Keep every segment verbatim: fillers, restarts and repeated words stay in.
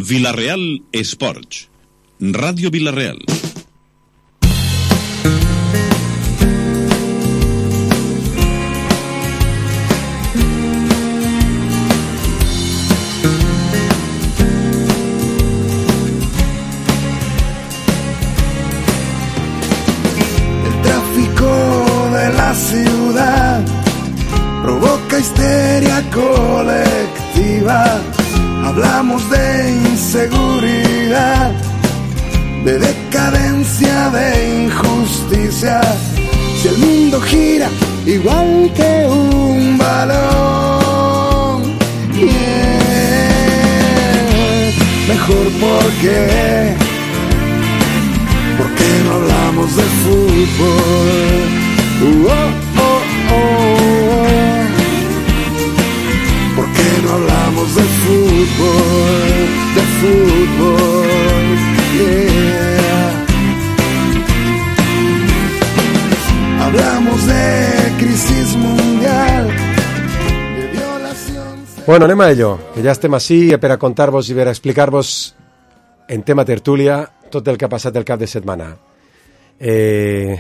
Vila-real Esports. Ràdio Vila-real. Ciudad provoca histeria colectiva. Hablamos de inseguridad, de decadencia, de injusticia. Si el mundo gira igual que un balón, yeah. Mejor porque, porque no hablamos de fútbol. Oh, oh, oh, oh. ¿Por qué no hablamos de fútbol? De fútbol, yeah. Hablamos de crisis mundial, de violación. Bueno, anem a ello, que ja estem ací per a contar-vos i per a explicar-vos en tema tertúlia tot el que ha passat el cap de setmana. Eh...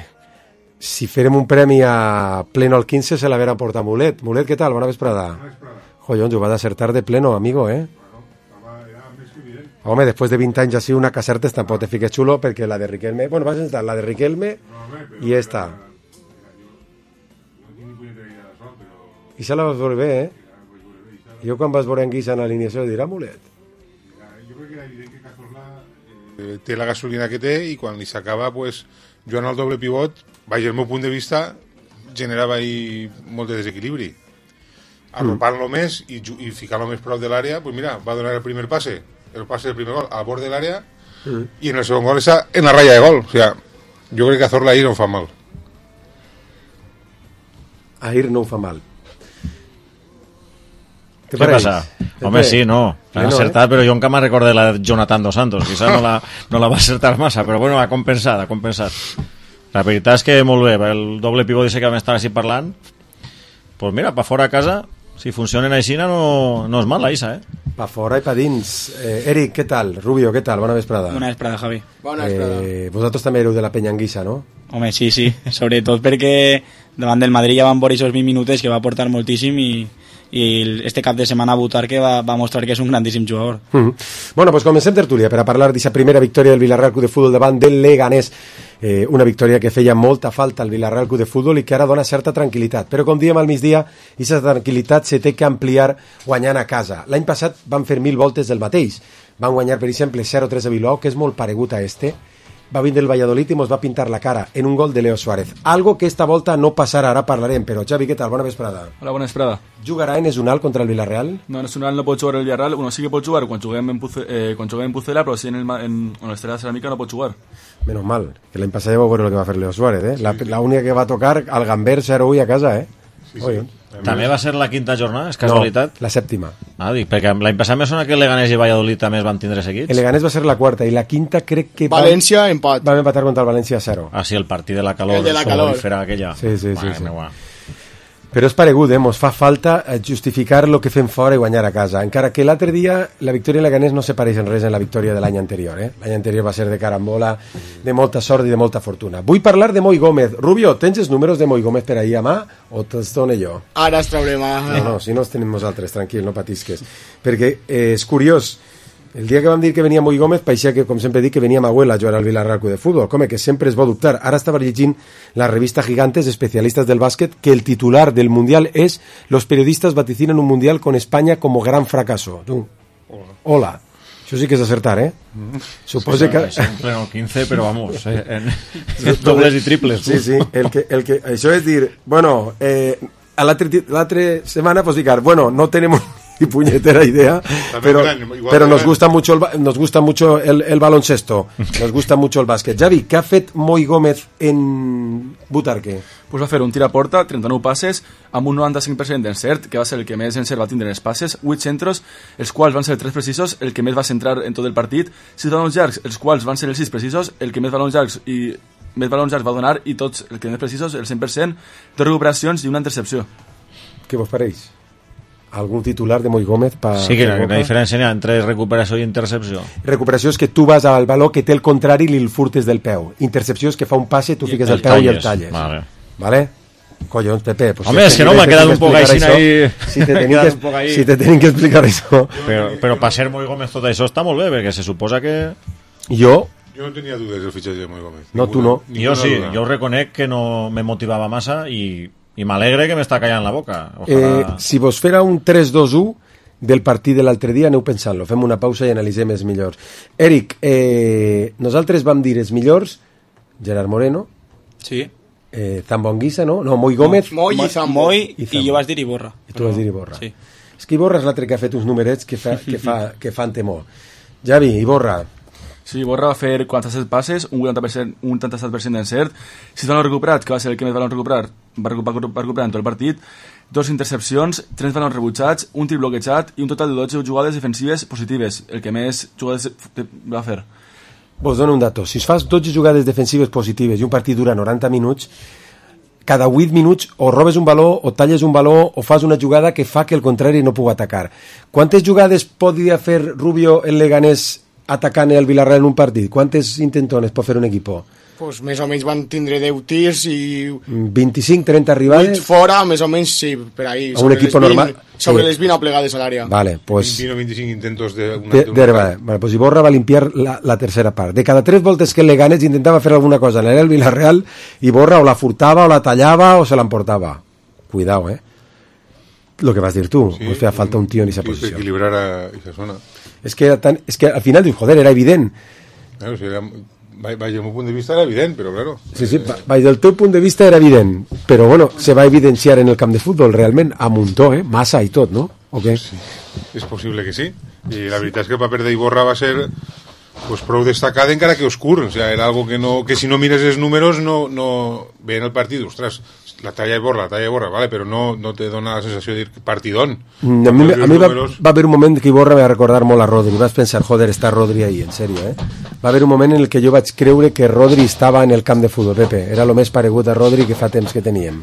Si farem un premi a pleno al quinze se l'haverà portat Mulet. Mulet, què tal? Bona vesprada. Bona vesprada. Joder, ho va d'acertar de pleno, amigo, eh? Bueno, era més que evident. Home, després de vint anys així una que acertes tampoc te fiques xulo perquè la de Riquelme... Bueno, vas a estar la de Riquelme i esta. I se la vas veure bé, eh? Jo quan vas veure en Guisa en l'alineació dirà Mulet. Jo crec que era evident que Cazorla eh, té la gasolina que té i quan li s'acaba, pues, jugant al doble pivot, vaja, el meu punt de vista, generava ahí molt de desequilibri. Arropant-lo mm. més i, i ficar-lo més prop de l'àrea, pues mira, va donar el primer passe, el passe del primer gol al bord de l'àrea mm. i en el segon gol està en la ratlla de gol. O sea, jo crec que Cazorla ahir no ho fa mal. Ahir no ho fa mal. Què passa? Home, sí, no. L'ha no, acertat, eh? Però jo encara me'n recordo la de Jonathan Dos Santos. Quizás no la, no la va acertar massa, però bueno, ha compensat, ha compensat. La veritat és que molt bé, el doble pivot dice que vam estar així parlant. Pues mira, pa fora a casa, si funcionen així no, no és mal la Isa, eh? Pa fora i pa dins. Eh, Eric, què tal? Rubio, què tal? Bona vesprada. Bona vesprada, Javi. Bona vesprada. Eh, vosaltres també éreu de la penya Anguissa, no? Home, sí, sí. Sobretot perquè davant del Madrid ja van veure aquests vint minutets que va aportar moltíssim i i este cap de setmana Butarque va, va mostrar que és un grandíssim jugador. Mm-hmm. Bueno, pues comencem tertúlia per a parlar d'aquesta primera victòria del Villarreal Club de Futbol davant del Leganés, eh, una victòria que feia molta falta al Villarreal Club de Futbol i que ara dona certa tranquil·litat, però com diem al migdia, aquesta tranquil·litat se té que ampliar guanyant a casa. L'any passat van fer mil voltes del mateix, van guanyar per exemple zero tres a Bilbao, que és molt paregut a este, va vindre el Valladolid i mos va pintar la cara en un gol de Leo Suárez. Algo que esta volta no passarà, ara parlarem, però Xavi, què tal? Bona vesprada. Hola, bona vesprada. Jugarà en Esunal contra el Villarreal? No, en Esunal no pot jugar el Villarreal, bueno, sí que pot jugar quan juguem en, Puce, eh, quan juguem en Pucela, però sí en, el, en, en l'Estrella de Ceràmica no pot jugar. Menos mal, que l'any passat ja vau veure el que va fer Leo Suárez, eh? La, la única que va tocar al Gamber zero u a casa, eh? Sí, sí. També va ser la quinta jornada, és casualitat? No, la sèptima. Ah, dic, perquè l'any passat me sona que el Leganés i Valladolid també es van tindre seguits. El Leganés va ser la quarta i la quinta crec que... València, van, empat. Vam empatar contra el València a zero. Ah, sí, el partit de la calor. El de la calor. Aquella. Sí, sí, sí. Bueno, sí. Bueno. Però és paregut, eh? Mos fa falta justificar el que fem fora i guanyar a casa. Encara que l'altre dia la victòria en Leganés no se pareix en res en la victòria de l'any anterior, eh? L'any anterior va ser de carambola, de molta sort i de molta fortuna. Vull parlar de Moi Gómez. Rubio, tens els números de Moi Gómez per ahir a mà o te'ls dono jo? Ara els traurem. No, no, si no els tenim nosaltres, tranquil, no patisques. Perquè eh, és curiós, el dia que vam dir que venia Moi Gómez paeixia que, com sempre dic, que venia Mahuel a jugar al Villarreal Club de Futbol. Com que sempre es va dubtar. Ara estava llegint la revista Gigantes, especialistas del básquet, que el titular del Mundial es «Los periodistas vaticinan un Mundial con España como gran fracaso». Tu. Hola. Hola. Això sí que és acertar, eh? Mm. Suposo sí, que... Això en pleno quinze, però vamos, eh, en, en dobles i triples. Sí, sí, el que, el que, això és dir, bueno, eh, a l'altra setmana, pues dic, bueno, no tenemos y puñetera idea, pero, pero nos gusta mucho el, nos gusta mucho el, el baloncesto, nos gusta mucho el bàsquet. Javi, què ha fet Moi Gómez en Butarque? Pues va fer un tir a porta, trenta-nou passes, amb un noranta-cinc per cent d'encert, que va ser el que més encert va tindre en els passes, vuit centros, els quals van ser tres precisos, el que més va centrar en tot el partit, sis balons llargs, els quals van ser els sis precisos, el que més balons llargs i més balons llargs va donar, i tots, el que més precisos, el cent per cent, dos recuperacions i una intercepció. Què vos pareix? algun titular de Moi Gómez pa, sí, que per la diferència n'hi ha entre recuperació i intercepció. Recuperació és que tu vas al valor que té el contrari i li el furtes del peu. Intercepció és que fa un passe, tu fiques el, el peu talles. I el talles. Vale. Vale? Collons, Pepe. Pues Home, si és que no, m'ha quedat un poc així ahí... Si te tenim que, si te tenim que explicar això. Però, però per ser Moi Gómez tot això està molt bé, perquè se suposa que... Jo... Jo no tenia dudes del fitxatge de Moi Gómez. No, tu no. Jo sí, duda. Jo reconec que no me motivava massa i... i m'alegre que m'està callant la boca. Ojalà... Eh, si vos fera un tres dos u del partit de l'altre dia, aneu pensant-lo. Fem una pausa i analitzem els millors. Eric, eh, nosaltres vam dir els millors, Gerard Moreno, sí. eh, Zambonguisa, no? No, Moi Gómez. No, Moi i Zambo. Moi i, i jo vas dir Iborra. I tu vas dir Iborra. Sí. És que Iborra és l'altre que ha fet uns numerets que, fa, que, fa, que fan temor. Javi, Iborra. Sí, Iborra va fer quaranta-set passes, un vuitanta per cent, un vuitanta-set per cent d'encert, sis ballons recuperats, que va ser el que més ballons recuperar, va recuperar, va recuperar en tot el partit, dos intercepcions, tres ballons rebutjats, un tir bloquejat i un total de dotze jugades defensives positives, el que més jugades va fer. Vos dono un dato. Si fas dotze jugades defensives positives i un partit dura noranta minuts, cada vuit minuts o robes un baló, o talles un baló, o fas una jugada que fa que el contrari no pugui atacar. Quantes jugades podria fer Rubio el Leganés atacant el Villarreal en un partit? Quantes intentones pot fer un equip? Pues més o menys van tindre deu tirs i... vint-i-cinc trenta arribades? vuit fora, més o menys, sí, per ahí. A un equip normal? Sobre sí. les vint aplegades a l'àrea. Vale, pues... vint o vint-i-cinc intentos de... Una, de, de, de vale, vale, pues Iborra va limpiar la, la tercera part. De cada tres voltes que el Leganés intentava fer alguna cosa en el Villarreal, Iborra o la furtava, o la tallava, o se l'emportava. Cuidao, eh? Lo que vas dir tu, sí, pues feia falta un tio en esa posició. Equilibrar a esa zona. És que, tan, és que al final dius, joder, era evident. Claro, si era... Vaig, del meu punt de vista era evident, però claro. Sí, sí, vaig del teu punt de vista era evident, però bueno, se va evidenciar en el camp de futbol realment a muntó, eh? Massa i tot, no? O què? Sí, és possible que sí. I la veritat és que el paper d'Iborra va ser pues, prou destacat encara que oscur. O sea, era algo que, no, que si no mires els números no, no ve en el partit. Ostres, la talla Iborra, la talla Iborra, vale, però no, no te dona la sensació de dir partidón. Mm, a mi, a mi va, va haver un moment que Iborra me va recordar molt a Rodri. Vas pensar, joder, està Rodri ahí, en sèrio, eh? Va haver un moment en el que jo vaig creure que Rodri estava en el camp de futbol, Pepe. Era el més paregut a Rodri que fa temps que teníem.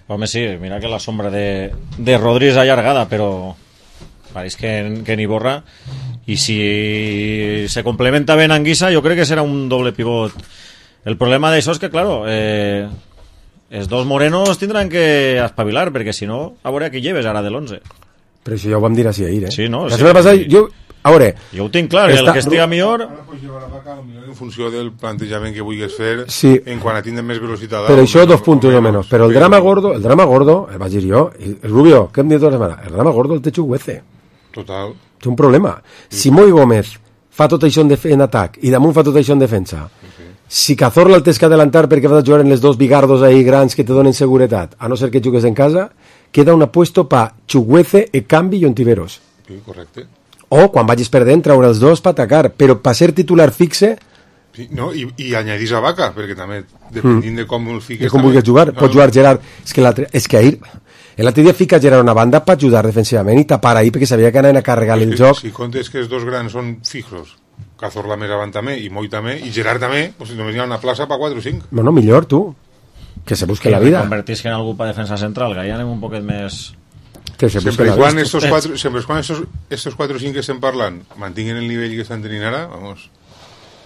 Home, sí, mira que la sombra de, de Rodri és allargada, però pareix que, que en Iborra, i si se complementa ben Anguissa, jo crec que serà un doble pivot. El problema d'això és que, claro, eh, els dos morenos tindran que espavilar, perquè si no, a veure qui lleves ara de l'onze. Però això ja ho vam dir així ahir, eh? Sí, no? La Sí, setmana passada, sí. jo... A veure... Jo ho tinc clar, Està... el que estiga millor... Ara pots llevar la vaca en funció del plantejament que vulguis fer, sí. En quan a tindre més velocitat. Però això, dos puntos o menos. Però el drama gordo, el drama gordo, el vaig dir jo, el Rubio, què em diu tota la setmana? El drama gordo el té Chukwueze. Total. Té un problema. Si Moi Gómez fa tot això en, en atac i damunt fa tot això en defensa, sí. Si Cazorla el tens que adelantar perquè vas a jugar en les dos bigardos ahí grans que te donen seguretat, a no ser que jugues en casa, queda un apuesto pa Chukwueze, Ekambi i Ontiveros. Sí, correcte. O quan vagis perdent traure els dos per atacar, però per ser titular fixe... Sí, no, i, i añadís a Vaca, perquè també, dependint mm. de com el fiques... De com vulguis jugar, no, pots jugar Gerard... És que l'altre, és que ahir... L'altre dia fica Gerard una banda per ajudar defensivament i tapar ahir perquè sabia que anaven a carregar el que, joc. Si comptes que els dos grans són fijos, Cazorla més avant també, i Moi també, i Gerard també, pues només hi ha una plaça per quatre o cinc. Bueno, millor, tu. Que se busque que la vida. Convertís que en algú per defensa central, que ja anem un poquet més... Que se sempre quan estos cuatro, sempre quan estos, estos cuatro o cinc que estem parlant mantinguen el nivell que estan tenint ara, vamos,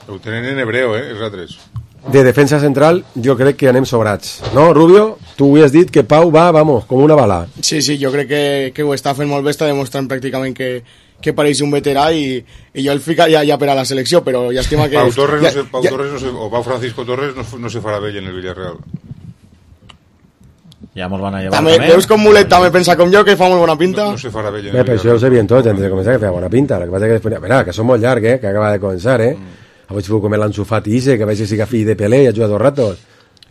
ho tenen en hebreo, eh, els altres. De defensa central, jo crec que anem sobrats. No, Rubio? Tu ho has dit que Pau va, vamos, com una bala. Sí, sí, jo crec que, que ho està fent molt bé, està demostrant pràcticament que, que pareix un veterà i, i jo el ficaria ja per a la selecció, però llàstima que... Pau Torres, ja, no se, Pau ja, Torres no se, o Pau Francisco Torres no, no se farà vell en el Villarreal. Ja mos van a llevar també, també. Veus com Mulet també pensa com jo, que fa molt bona pinta? No, no se farà vell en Bé, el però això ho sabien tots antes de començar, que feia bona pinta. El que passa que després... Mira, que som molt llarg, eh, que acaba de començar, eh. Mm. Avui feu com l'Ansu Fati Ise, que veig que siga fill de Pelé i ha jugat dos ratos.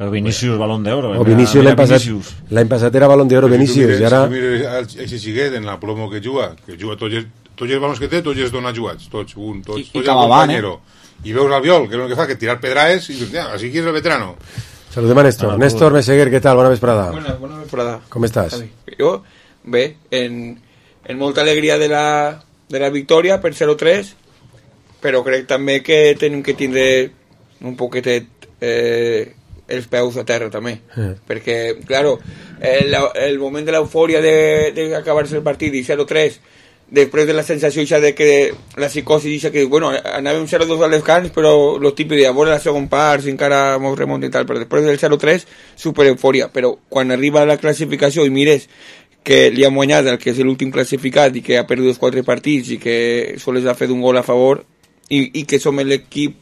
El Vinicius, Balón d'Oro. O Vinicius l'any passat, l'any passat era Balón d'Oro Vinicius, i ara... Si tu mires aquest xiguet en la plomo que juga, que juga tots els, tots els balons que té, tots els dona jugats, tots, un, tots, tots el compañero. I veus al Viol, que és el que fa, que tirar pedraes, i dius, ja, així que és el veterano. Saludem a Néstor. Ah, Néstor Meseguer, què tal? Bona vesprada. Bona, bona vesprada. Com estàs? Jo, bé, en, en molta alegria de la, de la victòria per zero tres, però crec també que tenim que tindre un poquetet eh, els peus a terra també, Eh. perquè, claro, el, el moment de l'eufòria d'acabar-se el partit i zero tres, després de la sensació ixa de que la psicosi ixa que, bueno, anàvem zero dos al descans, però lo típic de a veure la segon part, si encara mos remunta i tal, però després del zero tres, super eufòria, però quan arriba la classificació i mires que li ha guanyat el que és l'últim classificat i que ha perdut els quatre partits i que sols ha fet un gol a favor i, i que som l'equip,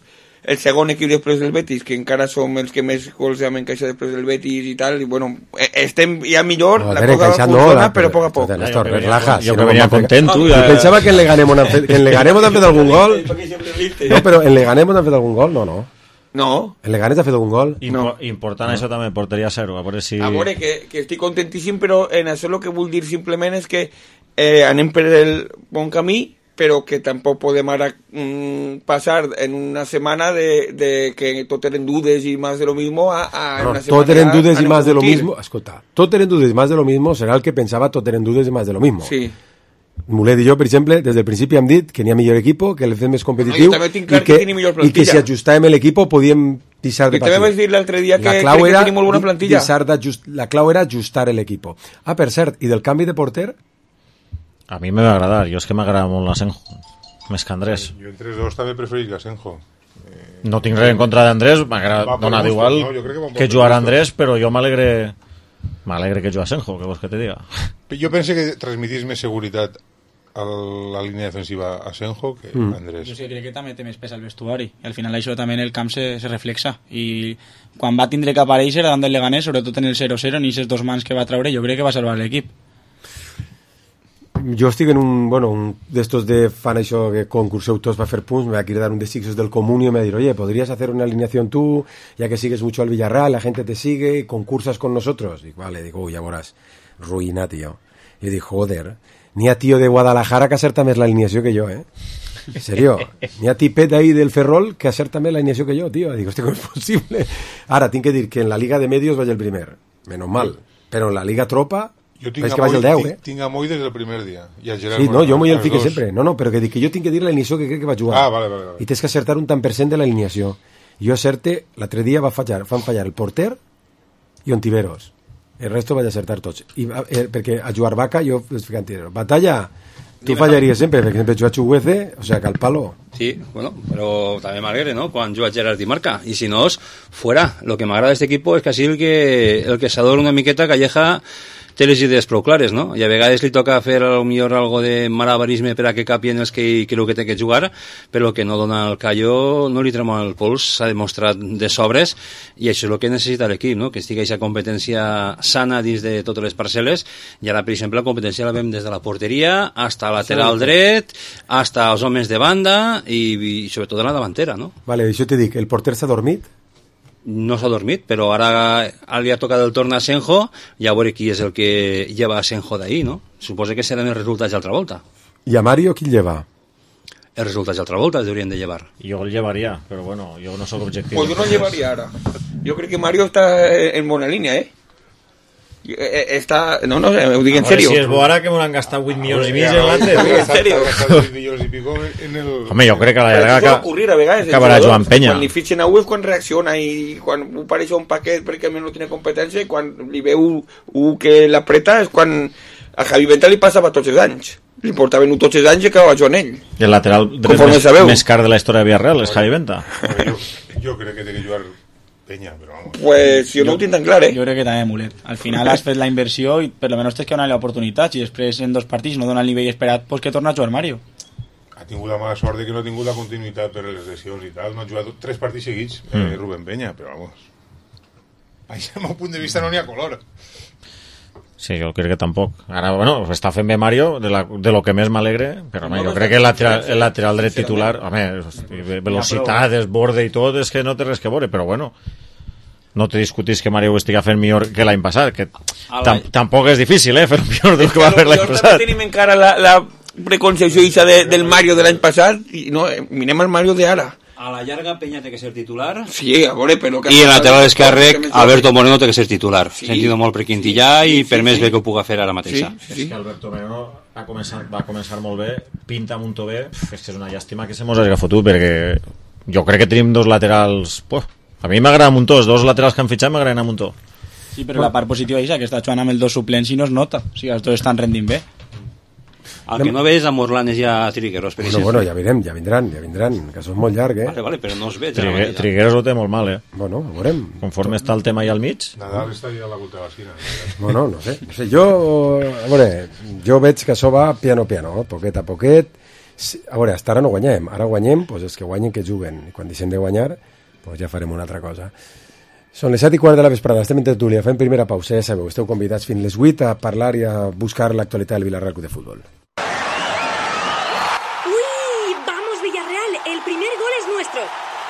el segon equip després del Betis, que encara som els que més gols hem encaixat després del Betis i tal, i bueno, estem ja millor, No, la Tere, cosa encaixat funciona, no, la- però a poc a poc. Néstor, Jo que relaja. venia- jo si que no venia m'han fet- content, tu, Jo ja- pensava que en Leganés m'han fet, que en Leganés m'han fet algun gol. No, però en Leganés m'han fet algun gol, no, no. No, En Leganés ha fet algun gol. Impo No. important això també, porteria zero, a veure si... a veure, que, que estic contentíssim, però en això el que vull dir simplement és que eh, anem per el bon camí, però que tampoc podem ara mm, passar en una setmana de, de que tot eren dudes i més de lo mismo a, a No, una setmana tot eren ja dudes a i no más de lo competir. mismo. Escolta, tot eren dudes i más de lo mismo serà el que pensava tot eren dudes i más de lo mismo. Sí. Mulet i jo, per exemple, des del principi hem dit que n'hi ha millor equipo, que l'hem fet més competitiu No, jo també tinc clar i que que, tenim millor i que plantilla. si ajustàvem l'equip podíem deixar de I també patir. vaig dir l'altre dia que La crec clau que era tenim molt bona di- plantilla. deixar d'ajust- la clau era ajustar l'equip. Ah, per cert, i del canvi de porter? A mi me va agradar, jo és que m'agrada molt l'Asenjo, més que Andrés. Jo entre els dos també preferís l'Asenjo. No tinc res en contra d'Andrés, m'agrada Va per donar gustos, igual no? Jo crec que va que per jugar a gustos. Andrés, però jo m'alegre m'alegre que jugui Asenjo, que vols que te diga. Jo penso que transmitís més seguretat a la línia defensiva a Asenjo que Mm. a Andrés. Jo sí, crec que també té més pes al vestuari i al final això també en el camp se, se reflexa i quan va tindre que aparèixer davant del Leganés, sobretot en el zero zero en aquests dos mans que va treure, jo crec que va salvar l'equip. Jo estic en un, bueno, un d'estos de fan això que concurseu tots per fer punts, me va a dar un de sixos del comunio y me va a decir, oye, ¿podrías hacer una alineación tú, ya que sigues mucho al Villarreal, la gente te sigue, concursas con nosotros? Digo, vale, digo, uy, ya verás, ruïna, tío. Y digo, joder, ni a tío de Guadalajara que acerta més l'alineació que jo, eh? En serio, ni a tipet ahí del Ferrol que acerta més l'alineació que jo, tío. Digo, este com és possible? Ara, tinc que dir que en la Liga de Medios vaig el primer, menos mal, però en la Liga Tropa Jo tinc és a que vaig el Moy, deu, tinc, eh? tinc a Moy des del primer dia. I a Gerard Sí, no, Moreno, jo m'hi el als fique dos. sempre. No, no, però que dic que jo tinc que dir l'alineació que crec que va jugar. Ah, vale, vale, vale. I tens que acertar un tant per cent de l'alineació. Jo acerte, l'altre dia va fallar, van fallar el porter i Ontiveros. El resto vaig acertar tots. I, va- eh, perquè a jugar Vaca jo es fica Ontiveros. Batalla, tu fallaries sempre, perquè sempre jugat Chuguece, o sea, que al palo. Sí, bueno, pero también me alegre, ¿no? Cuando juega Gerard y marca. Y si no, es fuera. Lo que me agrada de este equipo es casi el que, el que s'adora una miqueta Calleja té les idees prou clares, no? I a vegades li toca fer a lo millor algo de malabarisme per a que capien els que creu que té que jugar, però el que no dona el callo no li trema el pols, s'ha demostrat de sobres, i això és el que necessita l'equip, no? Que estigui aquesta competència sana dins de totes les parcel·les, i ara, per exemple, la competència la veiem des de la porteria, hasta lateral dret, hasta els homes de banda, i, i sobretot de la davantera, no? Vale, això te dic, el porter s'ha dormit? No s'ha dormit, però ara, ara li ha tocat el torn a Asenjo, i a veure qui és el que lleva Asenjo d'ahir, no? Suposo que seran els resultats d'altra volta. I a Mario qui el lleva? Els resultats d'altra volta els haurien de llevar. Jo el llevaria, però bueno, jo no sóc objectiu. Pues yo no llevaría ahora. Yo creo que Mario está en buena línea, ¿eh? Eh, Está... No, no, ho dic en A veure serio. si és bo ara que m'ho han gastat vuit milions i mig Ja, en l'altre. ja, tio. en serio. milions i pico en el... Home, jo crec que a la Però llarga això pot aca- ocurrir a vegades. el acabarà jugador, Joan Penya. Quan li fitxen a U és quan reacciona i quan ho pareix un paquet perquè no tiene competència i quan li veu U que l'apreta és quan a Javi Venta li passava tots els anys. Li portaven U tots els anys i acabava jugant ell. I el lateral dret Conforme més, sabeu. més car de la història de Villarreal és Javi Venta. Jo, jo crec que té que jugar Penya, però vamos. Pues jo no ho tinc tan clar, eh? Jo crec que també Mulet. Al final has fet la inversió i per lo menos tens que donar-li oportunitats i després en dos partits no dona el nivell esperat pues que torna a jugar Mario. Ha tingut la mala sort de que no ha tingut la continuïtat per les lesions i tal. No ha jugat tres partits seguits, eh, Mm. Rubén Penya, però vamos. Així, al meu punt de vista, no n'hi ha color. Sí, jo crec que tampoc. Ara, bueno, està fent bé Mario, de, la, de lo que més m'alegre, però home, jo crec que el lateral, el lateral dret titular, home, hosti, velocitat, desborde i tot, és que no té res que veure, però bueno, no te discutís que Mario ho estigui fent millor que l'any passat, que tam tampoc és difícil, eh, fer millor del que va fer l'any Nosaltres passat. tenim encara la, la preconcepció ixa de, del Mario de l'any passat i no, eh, mirem el Mario de ara. A la llarga Peña té que ser titular. Sí, a veure, però... I el lateral esquerre, Alberto Moreno té que ser titular. Sí. Sentido molt per Quintillà i per més bé que ho puga fer ara mateixa. Sí, sí. És que Alberto Moreno va començar, va començar molt bé, pinta amb un to bé, és que és una llàstima que se mos hagi fotut, perquè jo crec que tenim dos laterals, pues, A mi m'agrada Muntó, els dos laterals que han fitxat m'agraden a Muntó. Sí, però la part positiva és que està jugant amb els dos suplents i no es nota. O sigui, els dos estan rendint bé. El que no veig a Morlanes i a Trigueros, per Bueno, exemple. bueno, ja veurem, ja vindran, ja vindran, que això és molt llarg, eh? Vale, vale, però no els veig. Trigue, Trigueros ho té molt mal, eh? Bueno, ho veurem. Conforme està el tema allà al mig. Nadal està allà a la volta de l'esquina. Bueno, no sé, no sé. Jo, a veure, jo veig que això va piano piano, poquet a poquet. A veure, hasta ara no guanyem. Ara guanyem, doncs els que guanyen que juguen. I quan deixem de guanyar, doncs ja farem una altra cosa. Són les set i quart de la vesprada, estem en tertúlia, fem primera pausa, ja sabeu, esteu convidats fins les vuit a parlar i a buscar l'actualitat del Villarreal Club de Futbol. El primer gol es nuestro.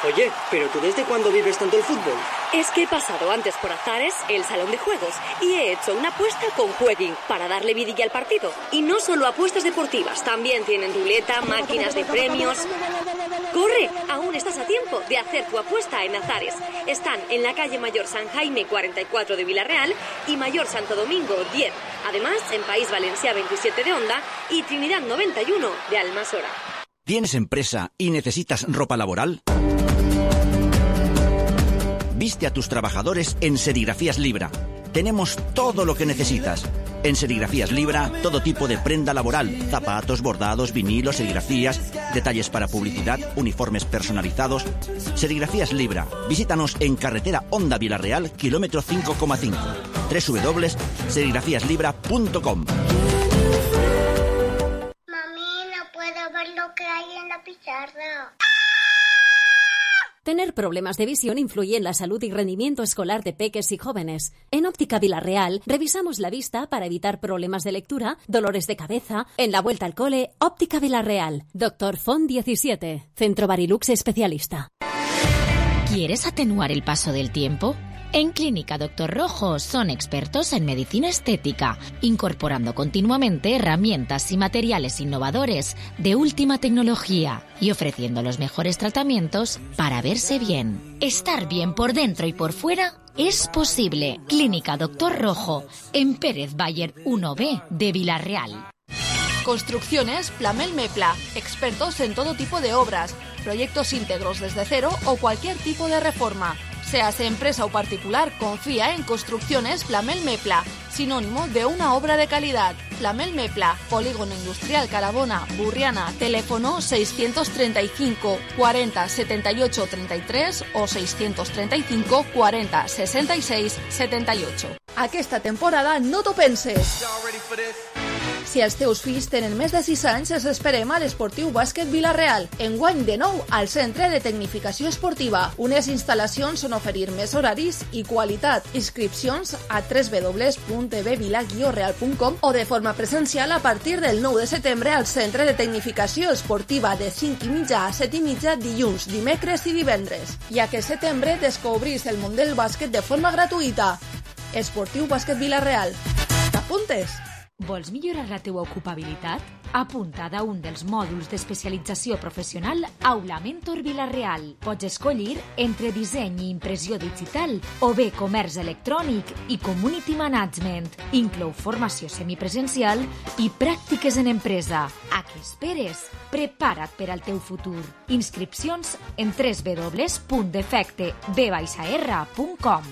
Oye, ¿pero tú desde cuándo vives tanto el fútbol? Es que he pasado antes por Azares, el salón de juegos, y he hecho una apuesta con Jueguin para darle vidilla al partido. Y no solo apuestas deportivas, también tienen ruleta, máquinas de premios. ¡Corre! Aún estás a tiempo de hacer tu apuesta en Azares. Están en la calle Mayor San Jaime cuarenta y cuatro de Villarreal y Mayor Santo Domingo diez. Además, en País Valencia veintisiete de Onda y Trinidad noventa y uno de Almasora. ¿Tienes empresa y necesitas ropa laboral? Viste a tus trabajadores en Serigrafías Libra. Tenemos todo lo que necesitas. En Serigrafías Libra, todo tipo de prenda laboral, zapatos, bordados, vinilos, serigrafías, detalles para publicidad, uniformes personalizados. Serigrafías Libra. Visítanos en carretera Onda Villarreal, kilómetro cinco coma cinco. doble u doble u doble u punto serigrafías libra punto com. Lo que hay en la pizarra. Tener problemas de visión influye en la salud y rendimiento escolar de peques y jóvenes. En Óptica Villarreal revisamos la vista para evitar problemas de lectura, dolores de cabeza. En la vuelta al cole, Óptica Villarreal. Doctor Font diecisiete, Centro Barilux especialista. ¿Quieres atenuar el paso del tiempo? En Clínica Doctor Rojo son expertos en medicina estética, incorporando continuamente herramientas y materiales innovadores de última tecnología y ofreciendo los mejores tratamientos para verse bien. Estar bien por dentro y por fuera es posible. Clínica Doctor Rojo, en Pérez Bayer uno B de Villarreal. Construcciones Plamel Mepla, expertos en todo tipo de obras, proyectos íntegros desde cero o cualquier tipo de reforma. Seas empresa o particular, confía en Construcciones Plamel Mepla, sinónimo de una obra de calidad. Plamel Mepla, Polígono Industrial Carabona, Burriana, teléfono seiscientos treinta y cinco cuarenta setenta y ocho treinta y tres o seiscientos treinta y cinco cuarenta sesenta y seis setenta y ocho. Aquesta temporada no t'ho penses. Si els teus fills tenen més de sis anys, els esperem a l'Esportiu Bàsquet Villarreal. Enguany de nou al Centre de Tecnificació Esportiva. Unes instal·lacions on oferir més horaris i qualitat. Inscripcions a w w w punt b vila guió real punt com o de forma presencial a partir del nou de setembre al Centre de Tecnificació Esportiva de cinc i mitja a set i mitja dilluns, dimecres i divendres. I aquest setembre descobrís el món del bàsquet de forma gratuïta. Esportiu Bàsquet Villarreal. T'apuntes? Vols millorar la teua ocupabilitat? Apunta't a un dels mòduls d'especialització professional Aula Mentor Villarreal. Pots escollir entre disseny i impressió digital o bé comerç electrònic i community management. Inclou formació semipresencial i pràctiques en empresa. A què esperes? Prepara't per al teu futur. Inscripcions en w w w punt defecte b r punt com.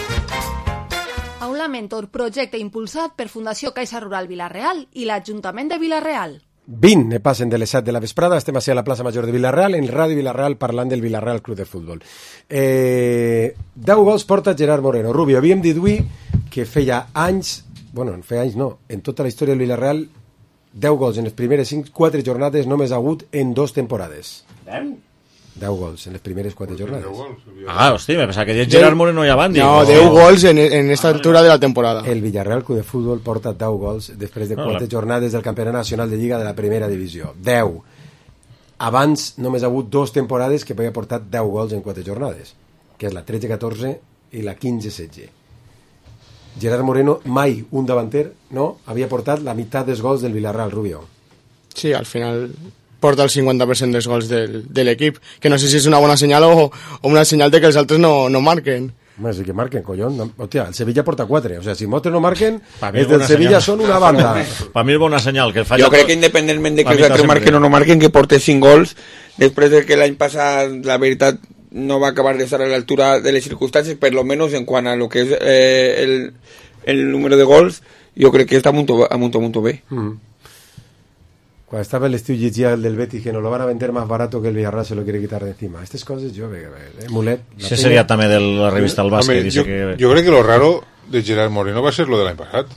Aula Mentor, projecte impulsat per Fundació Caixa Rural Villarreal i l'Ajuntament de Villarreal. vint ne passen de les set de la vesprada, estem així a la plaça Major de Villarreal, en Ràdio Villarreal, parlant del Villarreal Club de Futbol. Eh, deu gols porta Gerard Moreno. Rubio, havíem dit avui que feia anys, bueno, feia anys no, en tota la història del Villarreal, deu gols en les primeres cinc, quatre jornades només ha hagut en dos temporades. deu? deu gols en les primeres quatre jornades. Ah, hòstia, me pensava que dius Gerard Moreno i abans. No, deu gols en, en esta altura de la temporada. El Villarreal Club de Futbol porta deu gols després de quatre la... jornades del Campionat Nacional de Lliga de la Primera Divisió. deu. Abans només ha hagut dos temporades que havia portat deu gols en quatre jornades, que és la tretze catorze i la quinze setze. Gerard Moreno, mai un davanter, no? Havia portat la meitat dels gols del Villarreal, Rubio. Sí, al final porta el cinquanta per cent dels gols del, de l'equip, que no sé si és una bona senyal o, o una senyal de que els altres no, no marquen. Home, sí que marquen, collons. No, hòstia, el Sevilla porta quatre. O sea, si moltes no marquen, els del Sevilla són una banda. Per mi és bona senyal. Que jo crec que independentment de que els altres marquen o no marquen, que porte cinc gols, després de que l'any passat, la veritat, no va a acabar de estar a la altura de las circunstancias, por lo menos en cuanto a lo que es eh, el, el número de gols, yo creo que está muito, a muito, muito bé. Mm. Cuando estaba el estiu llegia el del Betis que nos lo van a vender más barato que el Villarreal se lo quiere quitar de encima. Estas cosas yo veo, eh, Mulet. Ese sería también de la revista El Básquet. Yo, que... yo creo que lo raro de Gerard Moreno va a ser lo de l'any passat.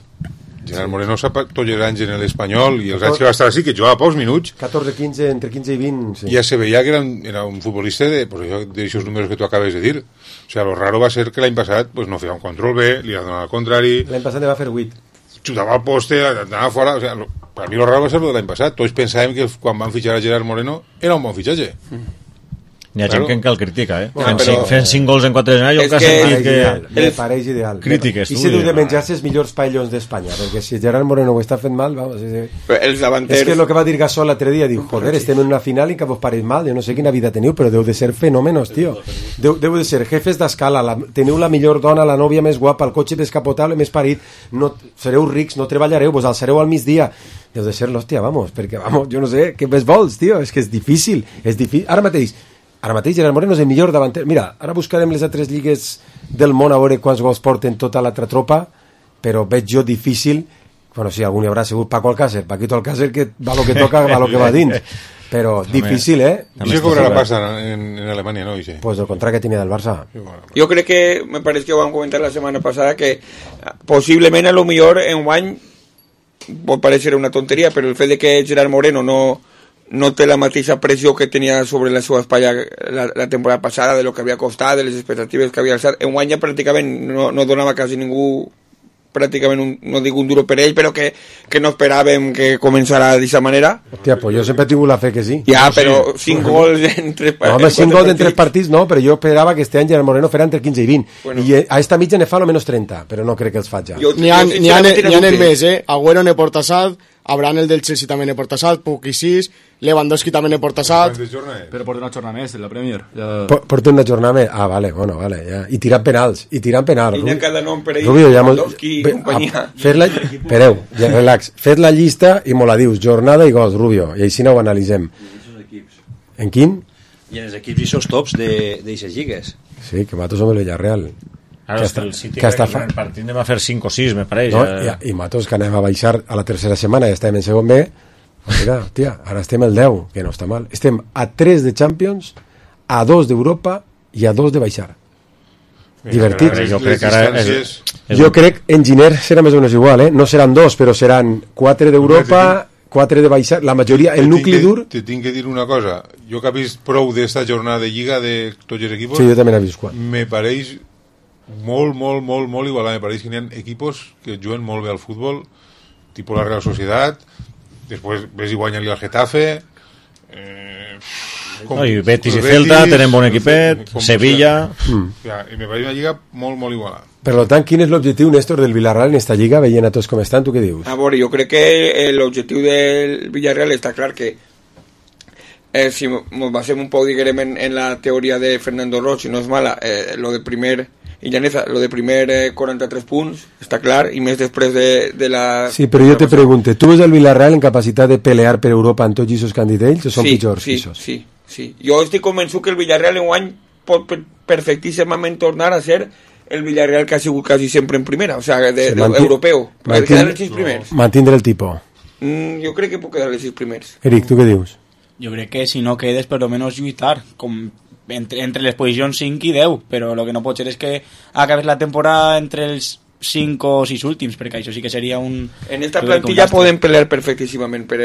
Gerard sí. Moreno s'ha tots els anys en l'Espanyol i els anys que va estar així, que jugava pocs minuts. catorze, quinze, entre quinze i vint. Sí. Ja se veia que era un, era un futbolista de, pues, d'aixòs números que tu acabes de dir. O sea, lo raro va ser que l'any passat pues, no feia un control B, li ha donat al contrari. L'any passat va fer vuit. Xutava al poste, anava fora. O sea, lo, per mi lo raro va ser lo de l'any passat. Tots pensàvem que quan van fitxar a Gerard Moreno era un bon fitxatge. Mm. Hi ha claro. gent que encara el critica, eh? No, fent, però... cinc, fent cinc gols en quatre anys, jo que he sentit que... Ideal, me pareix ideal. Crítiques, I si heu de menjar-se els millors paellons d'Espanya, perquè si Gerard Moreno ho està fent mal, vamos... És, els davanters... és que el que va dir Gasol l'altre dia, diu, joder, estem en una final i que vos pareix mal, jo no sé quina vida teniu, però deu de ser fenòmenos, tio. Deu, deu de ser jefes d'escala, la, teniu la millor dona, la nòvia més guapa, el cotxe descapotable més parit, no, sereu rics, no treballareu, vos alçareu al migdia. Deu de ser l'hòstia, vamos, perquè, vamos, jo no sé, què més vols, tio? És que és difícil, és difícil. Ara mateix, Ara mateix Gerard Moreno és el millor davanter. Mira, ara buscarem les altres lligues del món a veure quants gols porten tota l'altra tropa, però veig jo difícil, bueno, sí, algun hi haurà segur Paco Alcácer, Paquito Alcácer, que va lo que toca, va lo que va dins. Però difícil, eh? I se cobra la pasta en, en Alemania, ¿no? Dice. Pues el contrato que tenía del Barça. Yo creo que, me parece que van a comentar la semana pasada, que posiblemente a lo mejor en un año, pot parecer una tontería, pero el fet de que Gerard Moreno no... no té la mateixa pressió que tenia sobre la seva espatlla la, la temporada passada, de lo que havia costat, de les expectatives que havia alçat. En guany ja pràcticament no, no donava quasi ningú, pràcticament un, no dic un duro per ell, però que, que no esperàvem que començara d'aquesta manera. Hòstia, pues jo sempre he tingut la fe que sí. Ja, no, però sí. cinc gols en tres partits. No, home, cinc gols en tres partits no, però jo esperava que este any Gerard Moreno farà entre quinze i vint. Bueno. I a esta mitja ne fa almenys trenta, però no crec que els faig ja. N'hi ha, n'hi ha, n'hi ha el més, eh? Agüero ne porta salt, Abraham el del Chelsea també ne porta salt, Puc i sis, Lewandowski també ne porta salt. Però porta una jornada més en la Premier. Ja... Porta una jornada més? Ah, vale, bueno, vale, ja. I tirant penals, i tirant penals. I n'hi ha cada nom per ell, Rubio, ja Lewandowski i companyia. Fet la... Espereu, ja, relax. Fet la llista i me la dius, jornada i gols, Rubio, i així no ho analitzem. En quin? I en els equips i els tops d'eixes lligues. Sí, que matos som el Villarreal. Claro, que hasta, el City que hasta fa... el partit anem a fer cinc o sis, me pareix. No, ja, i matos que anem a baixar a la tercera setmana, ja estem en segon B. Mira, tia, ara estem el deu, que no està mal. Estem a tres de Champions, a dos d'Europa i a dos de baixar. Divertit. Jo crec que ara és, és... Jo crec en Giner serà més o menys igual, eh? No seran dos, però seran quatre d'Europa, quatre de baixar, la majoria, el nucli dur... Te tinc que dir una cosa, jo que he vist prou d'esta jornada de Lliga de tots els equipos... Sí, jo també n'he vist quatre. Me pareix molt, molt, molt, molt igualat. Me pareix que hi ha equipos que juguen molt bé al futbol, tipus la Real Sociedad, després ves i guanyen-li al Getafe, eh, com, no, i Betis i Celta tenen bon equipet, com, Sevilla... Mm. Ja, i me pareix una lliga molt, molt igualada. Per tant, quin és l'objectiu, Néstor, del Villarreal en esta lliga, veient a tots com estan, tu què dius? A veure, jo crec que l'objectiu del Villarreal està clar que eh, si ens basem un poc, diguem, en, en la teoria de Fernando Roig, si no és mala, eh, lo de primer... i Llaneza, lo de primer eh, quaranta-tres punts, està clar, i més després de, de la... Sí, però jo te pregunto, tu ves el Villarreal en capacitat de pelear per Europa en tots aquests candidats o són sí, pitjors? Sí, sí, sí, sí. Jo estic convençut que el Villarreal en guany pot perfectíssimament tornar a ser el Villarreal que ha sigut quasi sempre en primera, o sea, de, de, mantin... europeu. Mantin... Quedar els sis primers. Mantindre el tipus. Mm, jo crec que puc quedar els sis primers. Eric, tu què dius? Jo crec que si no quedes, per almenys lluitar, com... Entre, entre les posicions cinc i deu, però el que no pot ser és que acabes la temporada entre els cinc o sis últims, perquè això sí que seria un... En esta plantilla poden pelear perfectíssimament per,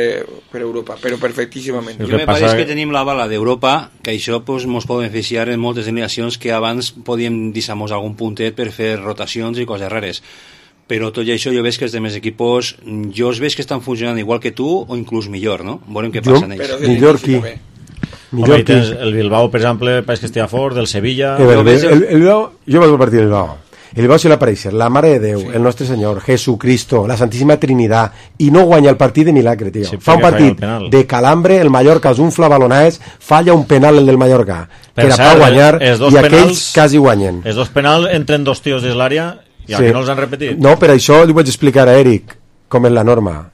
per Europa, però perfectíssimament. Jo me pareix que tenim la bala d'Europa, que això pues, mos pot beneficiar en moltes delegacions que abans podíem deixar-nos algun puntet per fer rotacions i coses rares. Però tot i això jo veig que els demés equipos, jo els veig que estan funcionant igual que tu o inclús millor, no? Veurem què passa en ells. Millor qui? Home, tens el Bilbao, per exemple, pareix que estigui fort, del Sevilla... El, el, el, el Bilbao, jo vaig al partit del Bilbao. El Bilbao se l'apareix, la Mare de Déu, sí. El nostre Senyor, Jesucristo, la Santíssima Trinitat, i no guanya el partit de milagre, tio. Sí, fa un partit de calambre, el Mallorca els unfla balonades, falla un penal el del Mallorca, per que era per guanyar, i penals, aquells quasi guanyen. Els dos penals entren dos tios des l'àrea i al sí. final els han repetit. No, per això li vaig explicar a Eric com és la norma.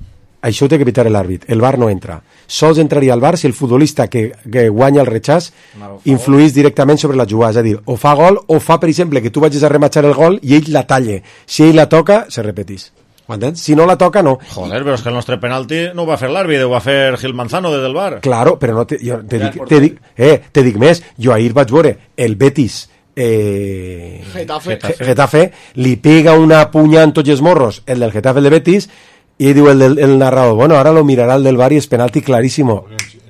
Això ho té que evitar l'àrbit, el V A R no entra. sols entraria al V A R si el futbolista que, que guanya el rechaç influís directament sobre la jugada, és a dir, o fa gol o fa, per exemple, que tu vagis a rematxar el gol i ell la talle. Si ell la toca, se repetís. M'entens? Si no la toca, no. Joder, però és que el nostre penalti no ho va fer l'àrbitre, ho va fer Gil Manzano des del V A R. Claro, però no te, jo te, dic, te, dic, eh, te dic més. Jo ahir vaig veure el Betis eh, Getafe. Getafe, li pega una punya en tots els morros, el del Getafe, el de Betis, i diu el, del, el narrador, bueno, ahora lo mirará el del V A R y es penalti clarísimo.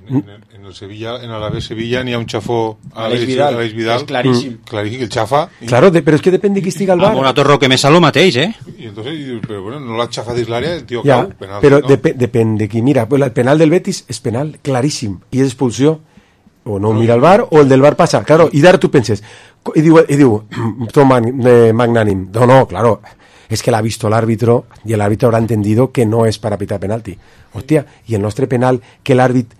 En, en, en el Sevilla, en Alavés Sevilla n'hi ha un xafó a Aleix Vidal, Aleix Vidal, és claríssim. Mm. Claríssim, el xafa. Claro, de, però és que depèn de qui estiga al V A R. Amb una torre que més a lo mateix, eh? I entonces, però bueno, no l'ha xafat dins l'àrea, el tio Ja, cau, penal. però no? dep depèn de qui mira. El penal del Betis és penal claríssim i és expulsió. O no mira el V A R o el del V A R passa. Claro, i d'ara tu penses, i diu, i diu tot magnànim, no, no, claro, es que l'ha visto el árbitro y el árbitro habrá entendido que no es para pitar penalti. Hostia, y el nostre penal, que el árbitro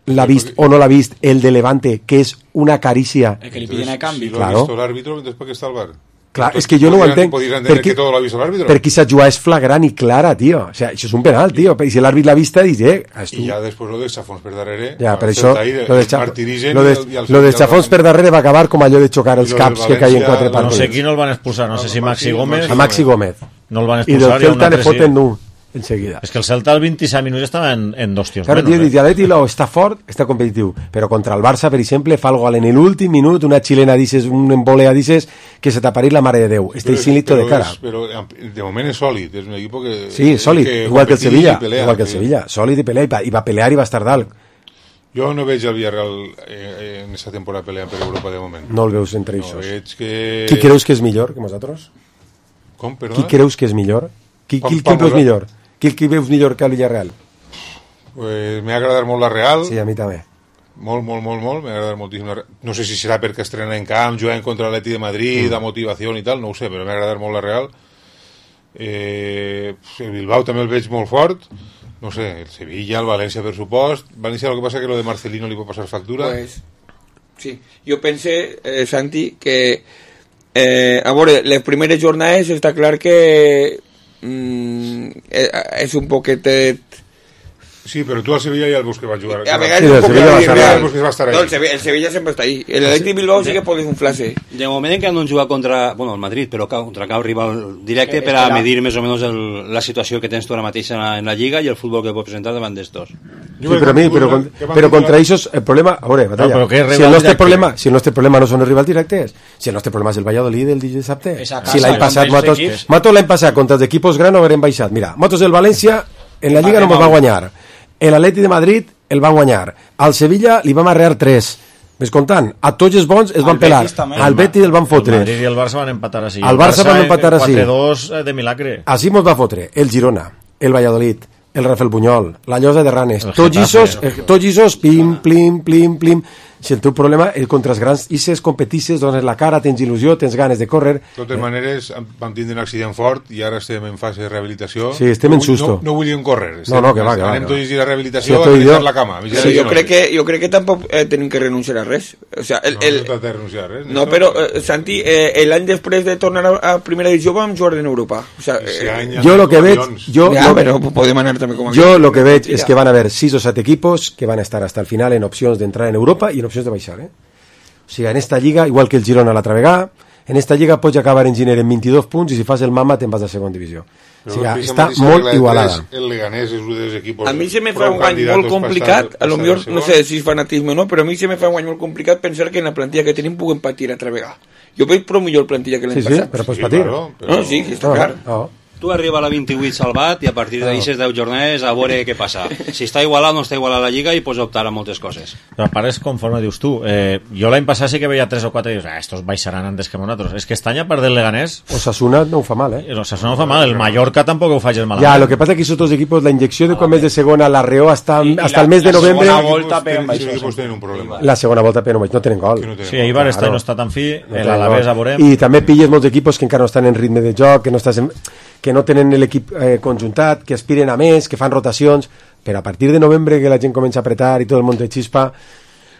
l'ha vist o no l'ha vist, el de Levante, que és una carícia. El que li piden a canvi. Si lo Claro. ha visto el árbitro, entonces ¿para qué está el V A R? Clar, Entonces, és que jo no ho podrían- entenc. podrían entender Perquè, que todo lo ha visto el árbitro. perquè aquesta jugada és flagrant i clara, tio. O sea, això és un penal, tio. I si l'àrbit l'ha vista, dius, eh... I ja després lo de xafons per darrere, Ja, per el això, Celta ahí, lo de, el xa- martirigen lo de, i el- i el lo de Sevilla xafons el- per darrere va acabar com allò de xocar els I lo caps del que caien València- quatre no No partits. sé qui no el van expulsar, no sé si Maxi Gómez... A Maxi Gómez. No el van I del expulsar. i a un Celta le altre sí. foten un, enseguida. És que el Celta al vint-i-set minuts estava en, en dos tios Claro, menos. tío, eh? dice, Atleti lo està fort, està competitiu, però contra el Barça, per exemple, fa el gol en l'últim minut, una xilena, dices, un embolea, dices, que se t'aparís la mare de Déu. Està Però- insilito de però cara. és- Però de moment és sòlid, és un equip que... Sí, sòlid, que igual que el competís i Sevilla, pelea, igual que el sí. Sevilla, sòlid i pelea, i va, i va pelear i va estar dalt. Jo no veig el Villarreal eh, en aquesta temporada peleant per Europa de moment. No el veus entre No, ells. veig que... Qui creus que és millor que nosaltres? Com, perdona? Qui creus que és millor? Qui, Pa- qui, qui pa el veus posar- millor? Qui, qui veus millor que el Villarreal? Pues m'ha agradat molt la Real. Sí, a mi també. Molt, molt, molt, molt. M'ha agradat moltíssim la Real. No sé si serà perquè estrena en camp, jugant contra l'Atleti de Madrid, Mm. la motivació i tal, no ho sé, però m'ha agradat molt la Real. Eh, el Bilbao també el veig molt fort. No sé, el Sevilla, el València, per supost. València, el que passa que lo de Marcelino li pot passar factura. Pues, sí, jo pense, eh, Santi, que eh, a veure, les primeres jornades està clar que mm, eh, és un poquetet... Sí, però tu al Sevilla ja el veus que va jugar. A vegades Sí, un el poc Sevilla va de estar real. ahí. Que va estar ahí. No, el Sevilla, el Sevilla sempre està ahí. El Atleti Bilbao sí que pot inflar-se. De moment encara no han jugat contra, bueno, el Madrid, però contra cap rival directe Eh, per a espera. medir més o menys el, la situació que tens tu ara mateix en la, en la Lliga i el futbol que pot presentar davant d'estos. Sí, però a mi, però, con- però contra ells el problema, a veure, batalla, però què és si el rival nostre directe? problema, si el nostre problema no són els rivals directes, si el nostre problema és el Valladolid el dissabte, És a si casa, l'any passat contra els Matos, equips. Matos l'any passat contra els equipos grans no haurem baixat, mira, Matos el València en la Lliga no ens va guanyar, el Atleti de Madrid el van guanyar, al Sevilla li vam arrear tres, ves comptant, a tots els bons es van Al pelar, Betis també. al Betis el van El fotre, Madrid i el Barça van empatar així. Al Barça van empatar així. quatre dos de milagre. així mos va fotre el Girona, el Valladolid, el Rafael Buñol, la Llosa de Ranes, El tots Getafe. isos, eh, tots isos, pim, plim, plim, plim. Si el teu problema és contra els grans isses, competisses, dones la cara, tens il·lusió, tens ganes de córrer. De totes maneres, vam tindre un accident fort i ara estem en fase de rehabilitació. Sí, estem no, en susto. No, no volíem córrer. No, no, que va, que va, Anem que va. tots a la rehabilitació Sí, a tu i deixar jo. la cama. a Sí, vigilar jo no. crec que, jo crec que tampoc eh, tenim que renunciar a res. O sea, el, No, el, no s'ha de renunciar a res. no, però, eh, Santi, eh, l'any després de tornar a, a primera divisió vam jugar en Europa. O sea, Ese eh, any Jo lo que veig, Lions. jo, ja, lo, però podem anar també com jo aquí. lo que veig és que van a haver sis o set equipos que van a estar hasta el final en opcions d'entrar en Europa i en opcions de baixar, eh? O sigui, en esta lliga, igual que el Girona l'altra vegada, en esta lliga pots acabar en gener en vint-i-dos punts i si fas el mama te'n vas a segona divisió. O Però sigui, aquesta està mateixa molt regla de igualada. tres, El Leganés és un dels equipos... A mi se me fa prou un any candidatos molt complicat, passar- a lo passar millor, segon. no sé si és fanatisme o no, però a mi se me fa un any molt complicat pensar que en la plantilla que tenim puguem patir altra vegada. Jo veig prou millor plantilla que l'any Sí, sí, passat. però pots Sí, patir. claro, però- No, sí, sí, està No, clar. no. Tu arriba a la vint-i-vuit salvat i a partir d'aixes deu jornades a veure què passa. Si està igualat o no està igualat la Lliga i pots optar a moltes coses. Però a part és conforme dius tu. Eh, jo l'any passat sí que veia tres o quatre i dius, ah, estos baixaran antes que nosaltres. És que este any a part del Leganés, Osasuna no ho fa mal, eh? o sea, eso no fa mal. El Mallorca tampoc ho faig malament. Ja, lo que pasa es que esos otros equipos, la inyecció de quan mes de segona l'arreó hasta, I- i hasta la- el mes de la novembre, segona Esos volta equipos peguen tenen- esos baixos, equipos sí. tenen un problema. la segona volta però no, no tenen gol. Que no tenen Sí, Eibar este Claro. any no està tan fi, No el tenen Alavés gol. a veurem. I també pilles molts equipos que encara no estan en ritme de joc, que no, estàs en, que no tenen l'equip eh, conjuntat, que aspiren a més, que fan rotacions, però a partir de novembre que la gent comença a apretar i tot el món te xispa,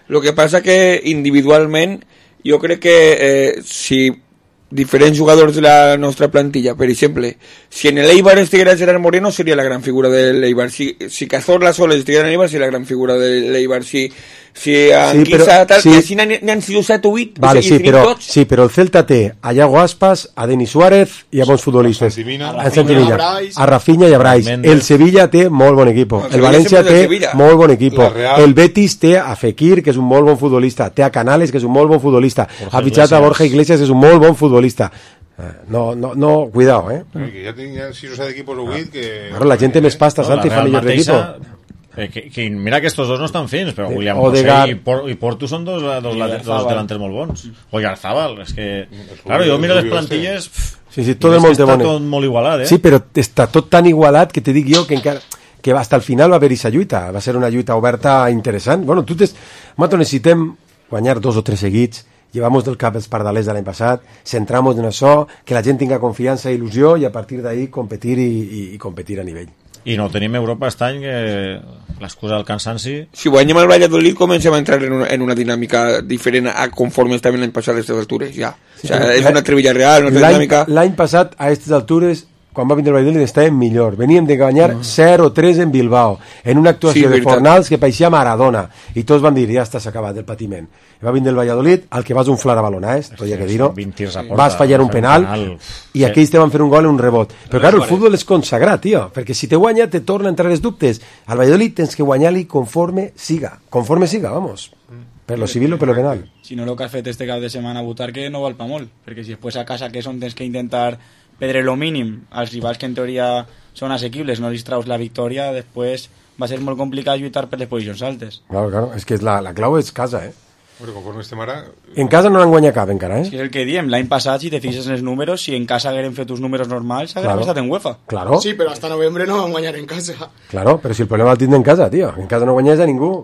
Lo que passa que individualment jo crec que eh, si diferents jugadors de la nostra plantilla. Per exemple, si en l'Eibar estiguera Gerard Moreno seria la gran figura de l'Eibar, si, si Cazorla sols estiguera en l'Eibar seria la gran figura de l'Eibar, si, si Anguissa sí, tal, sí. i així n'han sigut set o vuit, vale, i sí, però, tots. sí, però el Celta té a Iago Aspas, a Denis Suárez i a bons futbolistes, a Santimina, a Rafinha i a Brais. El Sevilla té molt bon equip, el, el València té molt bon equip, el Betis té a Fekir, que és un molt bon futbolista, té a Canales, que és un molt bon futbolista, ha fitxat a Borja Iglesias, que és un molt bon futbolista. No, no, no, cuidado, eh? Que ja tinc sis o set equipos o vuit que... Claro, la gent té més pasta, Santi, fa millor d'equipo. Eh, que, que mira que estos dos no estan fins, però sí. William José i, Por, i Porto són dos, dos, dos, dos delanters molt bons. O Yarzábal, és que... Claro, jo miro les plantilles... Sí, sí, tot el món té bonet. Està tot molt igualat, eh? Sí, però està tot tan igualat que te dic jo que encara... que hasta el final va haver-hi esa lluita, va ser una lluita oberta interessant. Bueno, tu tes... Mato, necessitem guanyar dos o tres seguits, llevamos del cap els pardalers de l'any passat, centramos en això, que la gent tinga confiança i il·lusió i a partir d'ahí competir i, i, i competir a nivell. I no tenim Europa aquest any, que l'excusa del cansanci... Si guanyem el Valladolid comencem a entrar en una, en una dinàmica diferent a conforme estàvem l'any passat a aquestes altures, ja. Sí, o sea, és una Trevilla real, una dinàmica... L'any passat a aquestes altures, quan va vindre el Valladolid, estàvem millor. Veníem de guanyar no. zero tres en Bilbao, en una actuació sí, de Fornals que paeixia Maradona, i tots van dir, ja està, s'ha acabat el patiment. I va vindre el Valladolid, al que vas unflar a balonades, tot hi ha que dir-ho, vas fallar un penal, i aquells te van fer un gol en un rebot. Però, clar, el futbol és consagrat, tio, perquè si te guanya, te torna a entrar els dubtes. Al Valladolid tens que guanyar-li conforme siga, conforme siga, vamos. Per lo civil o per lo penal. Si no, el que has fet este cap de setmana a votar que no val pa molt, perquè si després a casa que és on tens que intentar perdre lo mínim als rivals que en teoria són assequibles, no li traus la victòria, després va ser molt complicat lluitar per les posicions altes. Claro, claro, és que la, la clau és casa, eh? Bueno, conforme estem ara... En casa no l'han guanyat cap encara, eh? És que és el que diem, l'any passat, si te fixes en els números, si en casa hagueren fet uns números normals, hagueren claro. estat en UEFA. Claro. Sí, però hasta novembre no van guanyar en casa. Claro, però si el problema el tindre en casa, tio. En casa no guanyes a ningú.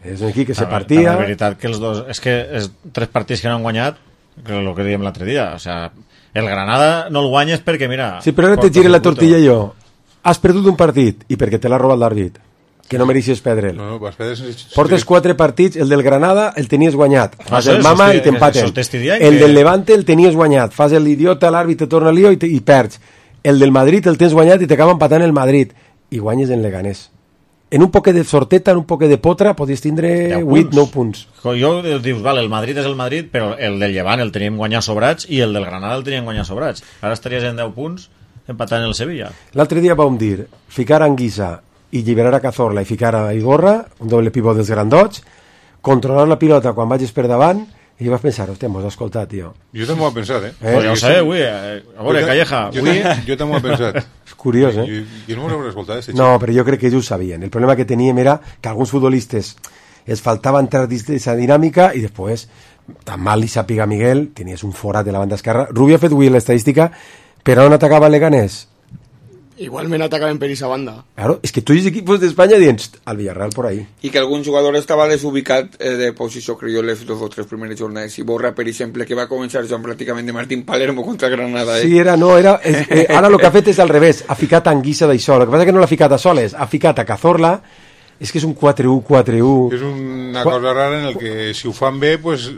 És un equip que se partia... La veritat que els dos... És que els tres partits que no han guanyat, que és el que dèiem l'altre dia, o sea, el Granada no el guanyes perquè, mira... Sí, però ara te gire la tortilla jo. Has perdut un partit i perquè te l'ha robat l'àrbit, que no mereixes perdre'l. No, no, vas perdre... Portes quatre partits, el del Granada el tenies guanyat, fas no sé, el mama i t'empaten. El que... del Levante el tenies guanyat, fas l'idiota, l'àrbit te torna lío i, te, i perds. El del Madrid el tens guanyat i t'acaba empatant el Madrid. I guanyes en Leganés. En un poquet de sorteta, en un poquet de potra, podries tindre vuit nou punts. Jo dius, vale, el Madrid és el Madrid, però el del Llevant el teníem guanyat sobrats i el del Granada el teníem guanyat sobrats. Ara estaries en deu punts empatant el Sevilla. L'altre dia vam dir, ficar a Anguissa i lliberar a Cazorla i ficar a Igorra, un doble pivot dels grandots, controlar la pilota quan vagis per davant, i vas pensar, hòstia, m'ho has escoltat, tio. Jo també ho he pensat, eh? eh? Pues ja ho sé, avui, eh? a veure, Calleja, avui... Jo també ho he pensat. És curiós, eh? Jo, jo no m'ho he escoltat, este No, però jo crec que ells ho sabien. El problema que teníem era que alguns futbolistes els faltava entrar dins d'aquesta dinàmica i després, tan mal li sàpiga Miguel, tenies un forat de la banda esquerra. Rubio ha fet avui l'estadística, però on atacava Leganés? Igualment atacaven per esa banda. Claro, és que tots els equips d'Espanya diuen al Villarreal por ahí. I que algun jugador estava desubicat eh, de posició, crec jo, les dos o tres primeres jornades. I Borra, per exemple, que va començar jugant pràcticament de Martín Palermo contra Granada. Eh? Sí, era, no, era... És, eh, ara el que ha fet és al revés, ha ficat Anguissa d'això. El que passa que no l'ha ficat a Soles, ha ficat a Cazorla, és que és un quatre u quatre u. És una cosa rara en el que si ho fan bé, pues...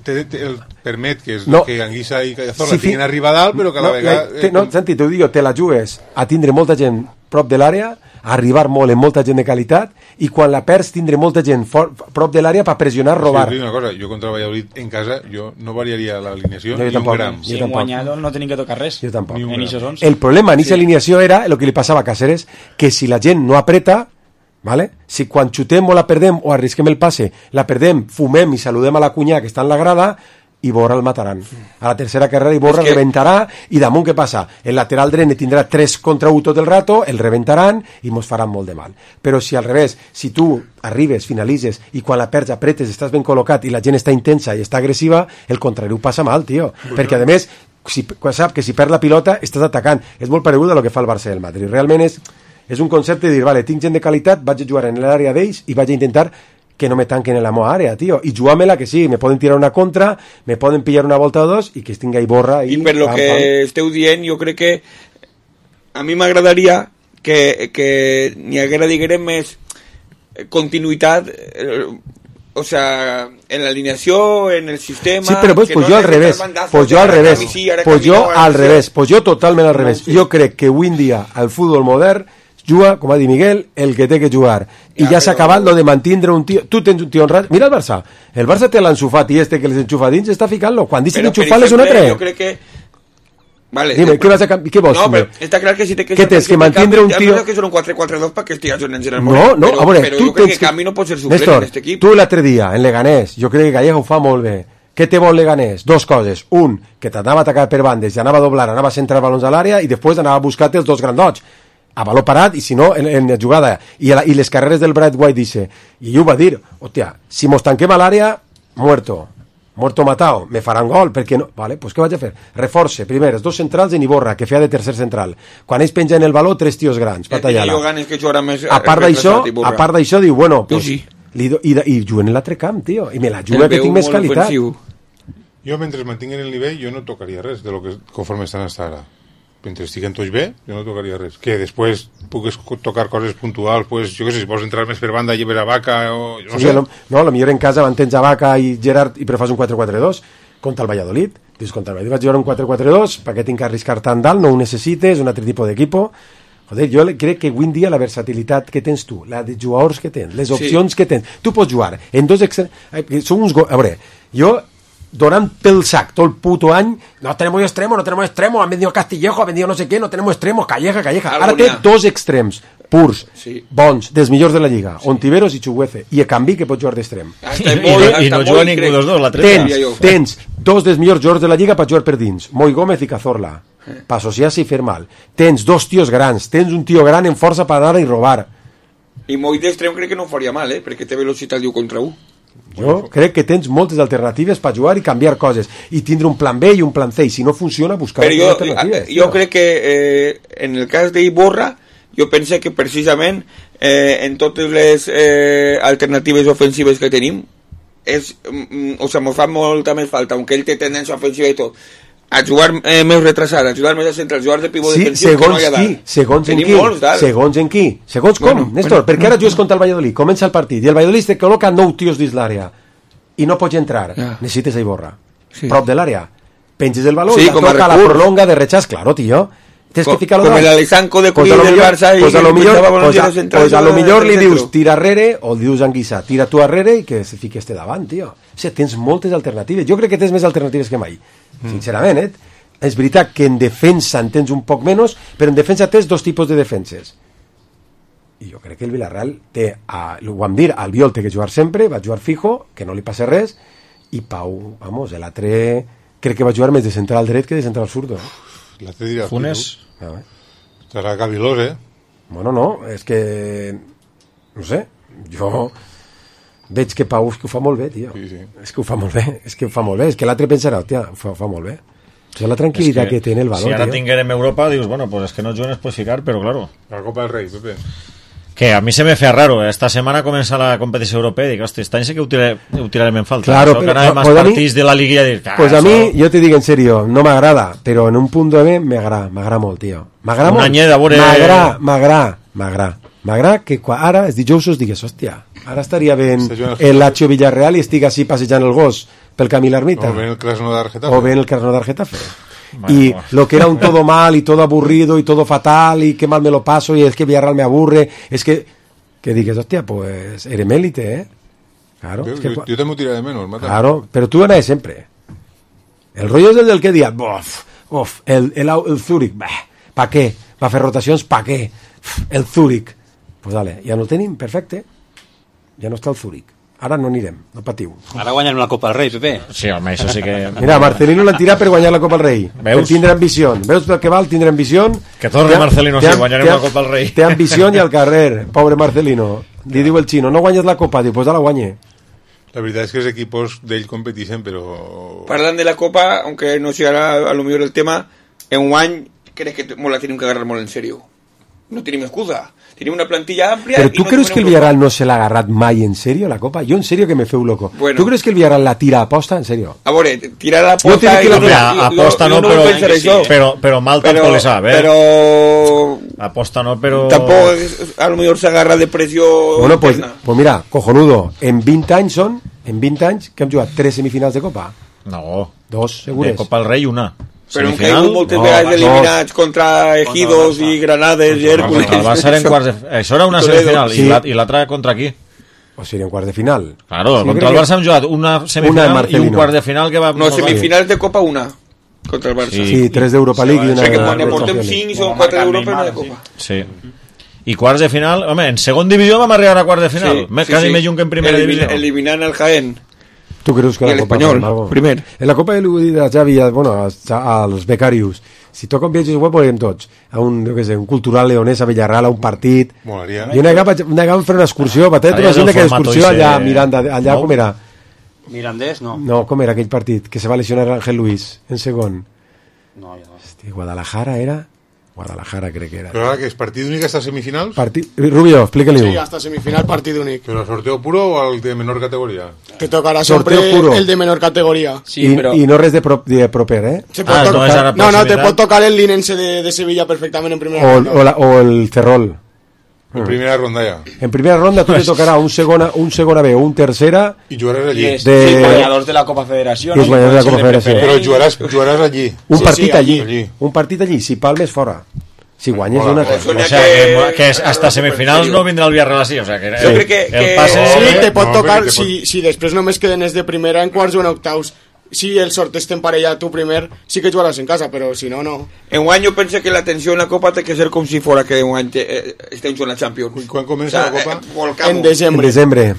Te, te, el permet que, és, no. que Anguissa i Cazorla si tinguin arribar a dalt, però que a la no, vegada... Te, no, Santi, t'ho dic, te la jugues a tindre molta gent prop de l'àrea, a arribar molt en molta gent de qualitat, i quan la perds tindre molta gent for, prop de l'àrea per pressionar, robar. Sí, una cosa, jo contra Valladolid en casa, jo no variaria l'alineació no, ni tampoc, un gram. Si en guanyado no tenim que tocar res. Jo tampoc. En el problema en aquesta sí. alineació era el que li passava a Cáceres, que si la gent no apreta, ¿vale? Si quan xutem o la perdem o arrisquem el passe, la perdem, fumem i saludem a la cunyà que està en la grada, i Borra el mataran. A la tercera carrera i Borra que... reventarà, i damunt què passa? El lateral dret tindrà tres contra u tot el rato, el reventaran i mos faran molt de mal. Però si al revés, si tu arribes, finalitzes i quan la perds apretes, estàs ben col·locat i la gent està intensa i està agressiva, el contrari ho passa mal, tio. Bueno. Perquè a més, si, sap que si perd la pilota estàs atacant. És molt paregut a lo que fa el Barça del Madrid. Realment és, és un concepte de dir, vale, tinc gent de qualitat, vaig a jugar en l'àrea d'ells i vaig a intentar que no me tanquen en la meva àrea, tio. I jugar-me-la que sí, me poden tirar una contra, me poden pillar una volta o dos i que es tinga i Borra. I, I per lo pam, que pam. Esteu dient, jo crec que a mi m'agradaria que, que n'hi haguera, diguem, més continuïtat, o sea, en la alineación, en el sistema... Sí, però pues, pues no jo al revés, pues jo al revés, sí, pues jo al revés, pues jo totalment al revés. No, sí. Jo crec que avui en dia el futbol modern juga, com ha dit Miguel, el que té que jugar. I ja, ja s'ha acabat lo de mantindre un tio... Tu tens un tio honrat... Mira el Barça. El Barça té l'Ansu Fati este que les enxufa dins, està ficant-lo. Quan deixen d'enxufar-les un altre... Jo crec que... Vale, Dime, ¿qué vas a cambiar? ¿Qué vos? No, pero está claro que si te ¿Qué tienes que mantindre un tío? Ya que son un cuatro cuatro dos para que estés en el No, no, pero, a veure, pero tu yo creo tens que Camino pot ser suplent Néstor, en este equipo. tu l'altre dia, en Leganés, jo crec que Calleja ho fa molt bé. Què té bo el Leganés? Dos coses. Un, que t'anava a atacar per bandes, i anava a doblar, anava a centrar balons a l'àrea, i després anava a buscar-te els dos grandots. A valor parat, i si no, en, en jugada. I, la, I les carreres del Brad White dice, i ell ho va dir, hòstia, si mos tanquem a l'àrea, muerto. Muerto matao, me faran gol, perquè no... Vale, pues què vaig a fer? Reforce, primer, els dos centrals en Iborra, que feia de tercer central. Quan ells pengen el baló, tres tios grans, per tallar-la. A part d'això, a part d'això, diu, bueno, pues, sí. li do, i, i juguen en l'altre camp, tio, i me la juga que tinc més qualitat. Jo, mentre mantinguen el nivell, jo no tocaria res de lo que conforme estan hasta ara. Mentre estiguen tots bé, jo no tocaria res. Que després pugues tocar coses puntuals, pues, jo què sé, si vols entrar més per banda i per a Vaca, o no sí, sé. No, no, a millor en casa mantens a Vaca i Gerard i però fas un quatre quatre dos contra el Valladolid. Dius, contra el Valladolid vaig jugar un quatre quatre dos, per què tinc que arriscar tant dalt, no ho necessites, un altre tipus d'equip. Joder, jo crec que avui en dia la versatilitat que tens tu, la de jugadors que tens, les opcions sí. que tens, tu pots jugar en dos extrems, són uns... Go... A veure, jo donant pel sac todo el puto año, no tenemos extremo, no tenemos extremo, han vendido Castillejo, ha vendido no sé qué, no tenemos extremos, Calleja, Calleja. Ara té dos extrems purs, sí. bons, dels millors de la Lliga, sí. Ontiveros i Chuguece, i a canvi que pot jugar d'extrem. I, i, i no juga ningú dels dos, la treta. Tens, tens dos dels millors jugadors de la Lliga per jugar per dins, Moi Gómez i Cazorla, eh. per associar-se i fer mal. Tens dos tios grans, tens un tio gran en força per anar i robar. I Moi d'extrem crec que no faria mal, eh? perquè té velocitat diu contra un. Jo crec que tens moltes alternatives per jugar i canviar coses i tindre un plan B i un plan C i si no funciona buscar jo, alternatives. Jo crec que eh, en el cas d'Iborra jo penso que precisament eh, en totes les eh, alternatives ofensives que tenim és, mm, o sigui, ens fa molta més falta, aunque ell té tendència ofensiva i tot, a jugar eh, més retrasada, a jugar més a central, jugar de pivot sí, defensiu que no hi ha dalt. Segons en qui, segons en qui, segons com, bueno, Néstor, bueno, perquè ara jugues contra el Valladolid, comença el partit, i el Valladolid te col·loca nou tios dins l'àrea, i no pots entrar, ja. necessites a Iborra, sí. prop de l'àrea, penges el baló, sí, i la toca la prolonga de rechàs, claro, tio, tens que ficar-lo com el Alexanco de Cuí del Barça pues a lo millor, pues a, pues a lo millor li dius tira arrere o li dius Anguissa tira tu arrere i que se fique este davant, tio. O sigui, tens moltes alternatives, jo crec que tens més alternatives que mai, mm. sincerament, eh? És veritat que en defensa en tens un poc menys, però en defensa tens dos tipus de defenses i jo crec que el Villarreal té, a, ho vam dir, Albiol té que jugar sempre, va jugar fijo, que no li passa res, i Pau, vamos, l'altre crec que va jugar més de central dret que de central zurdo, eh? L'altre dirà Funes ah, estarà Gavilós, eh? Bueno, no, és que no sé, jo veig que Pau és que ho fa molt bé, tio, sí, sí. és que ho fa molt bé, és que ho fa molt bé, és que l'altre pensarà, tia, ho fa, ho fa molt bé, o sigui, la tranquil·litat que, que té en el valor, si ara tio. tinguérem Europa, dius, bueno, pues es que no juguen es puedes ficar, pero claro, la Copa del Rey, Pepe. Que a mí se me fe raro, esta semana comienza la competición europea y digo, hostia, esta sé que ho tirarem en falta. Claro, pero, pero no, más pues partits de la liguilla dir, ah, pues a eso... mi, jo te dic en serio, no m'agrada, però en un punt de B m'agrada, m'agrada molt, tio. M'agrada molt. Veure... M'agrada, m'agrada, m'agrada. M'agrada que quan ara els dijous us digues, hòstia, ara estaria ben el Lazio Villarreal i estic així passejant el gos pel camí l'ermita. O ben el Krasnodar Getafe. O ben el Krasnodar Getafe. Y lo que era un todo mal y todo aburrido y todo fatal y qué mal me lo paso y es que Villarreal me aburre, es que que dices, hostia, pues eres élite, ¿eh? Claro. Yo, es que, yo, yo te me tiré de menos, mata. Claro, pero tú ganas siempre. El rollo es el del que día, uf, uf, el, el, el Zúrich, ¿para qué? ¿Para hacer rotaciones? ¿Para qué? El Zúrich. Pues dale, ja no el tenim, perfecte. Ja no està el Zúrich. Ara no anirem, no patiu. Ara guanyem la Copa del Rei, Pepe. Sí, home, això sí que... Mira, Marcelino l'han tirat per guanyar la Copa del Rei. Veus? Per tindre ambició. Veus pel que val tindre ambició? Que torni Marcelino, sí, guanyarem la Copa del Rei. Té ambició i al carrer, pobre Marcelino. Li diu el xino, no guanyes la Copa, diu, pues la guanye. La verdad es que los equipos de él competisen, pero... Parlant de la Copa, aunque no sea a lo mejor el tema, en un año crec que molt la tenim que agarrar molt en serio. no tenim excusa. Tenim una plantilla àmplia... Però tu no creus que el Villarreal no se l'ha agarrat mai en serio, la Copa? Jo en serio que me feu loco. Bueno. Tu creus que el Villarreal la tira a aposta, en serio? A veure, tirar a l'aposta... Jo que la no, aposta no, però, sí. però, però mal però, tampoc li sap, eh? Però... Aposta no, però... Tampoc, a lo mejor s'agarra de pressió... Bueno, pues, pues mira, cojonudo, en vint anys són, en vint anys, que hem jugat tres semifinals de Copa. No. Dos, segures. De Copa del Rei, una. Però han caigut moltes vegades eliminats contra Ejidos i Granades i Hércules. Contra el Barça eren quarts de... Això era una semifinal, sí. I l'altra contra aquí. O sigui, en quarts de final. Claro, sí, contra el Barça hem jugat una semifinal una i un quart de final que va... No, semifinals de Copa una, contra el Barça. Sí, sí tres d'Europa League i una... O sigui que quan ne portem cinc i són quatre d'Europa i una de Copa. Sí. I quarts de final... Home, en segon divisió vam arribar a quarts de final. Sí, sí, quasi sí. Més lluny que en primera Elimina, divisió. Eliminant el Jaén. Tu creus que I la Copa l'Espanyol, primer. En la Copa de l'Udida, Xavi, bueno, als, als becarius, si toquen viatges web, podríem tots. A un, jo què sé, un cultural leonès a Villarreal, a un partit. Molaria. I una vegada vam fer una excursió, Patet, una gent que excursió allà a Miranda, allà no? com era? Mirandés, no. No, com era aquell partit? Que se va lesionar Ángel Luis, en segon. No, ja no. Hosti, Guadalajara era... Guadalajara crec que era. Però ara que és partit únic hasta semifinals? Partit... Rubio, explica-li-ho. Sí, hasta semifinal partido únic. ¿Pero sorteo puro o el de menor categoría? Te tocará siempre el de menor categoría. Sí, I, però... I no res de, pro, de proper, eh? Se ah, no, tocar... no, no, te pot tocar el Linense de, de Sevilla perfectament en primera o, ronda. O, la, o el Ferrol. En primera ronda ja. En primera ronda tu te tocarà un segona, un segona B o un tercera... I jugaràs allí. De... Sí, guanyadors de la Copa Federació. I els guanyadors de la Copa Federació. Però jugaràs, jugaràs allí. Un sí, partit sí, allí. allí. Un partit allí. Si palmes, fora. Si guanyes Hola, una... hola. O sea, que, que hasta semifinals no vindrà el Villarreal así, o sea, que sí. el, que, el que... passe... Sí, te pot no, tocar, te pot... si, si després només queden els de primera en quarts o en octaus, si el sort està en parella tu primer, sí que jugaràs en casa, però si no, no. En un any jo penso que la tensió en la Copa té que ser com si fora que un any te, eh, estem jugant la Champions. Quan comença o sea, la Copa? Eh, en desembre. En desembre.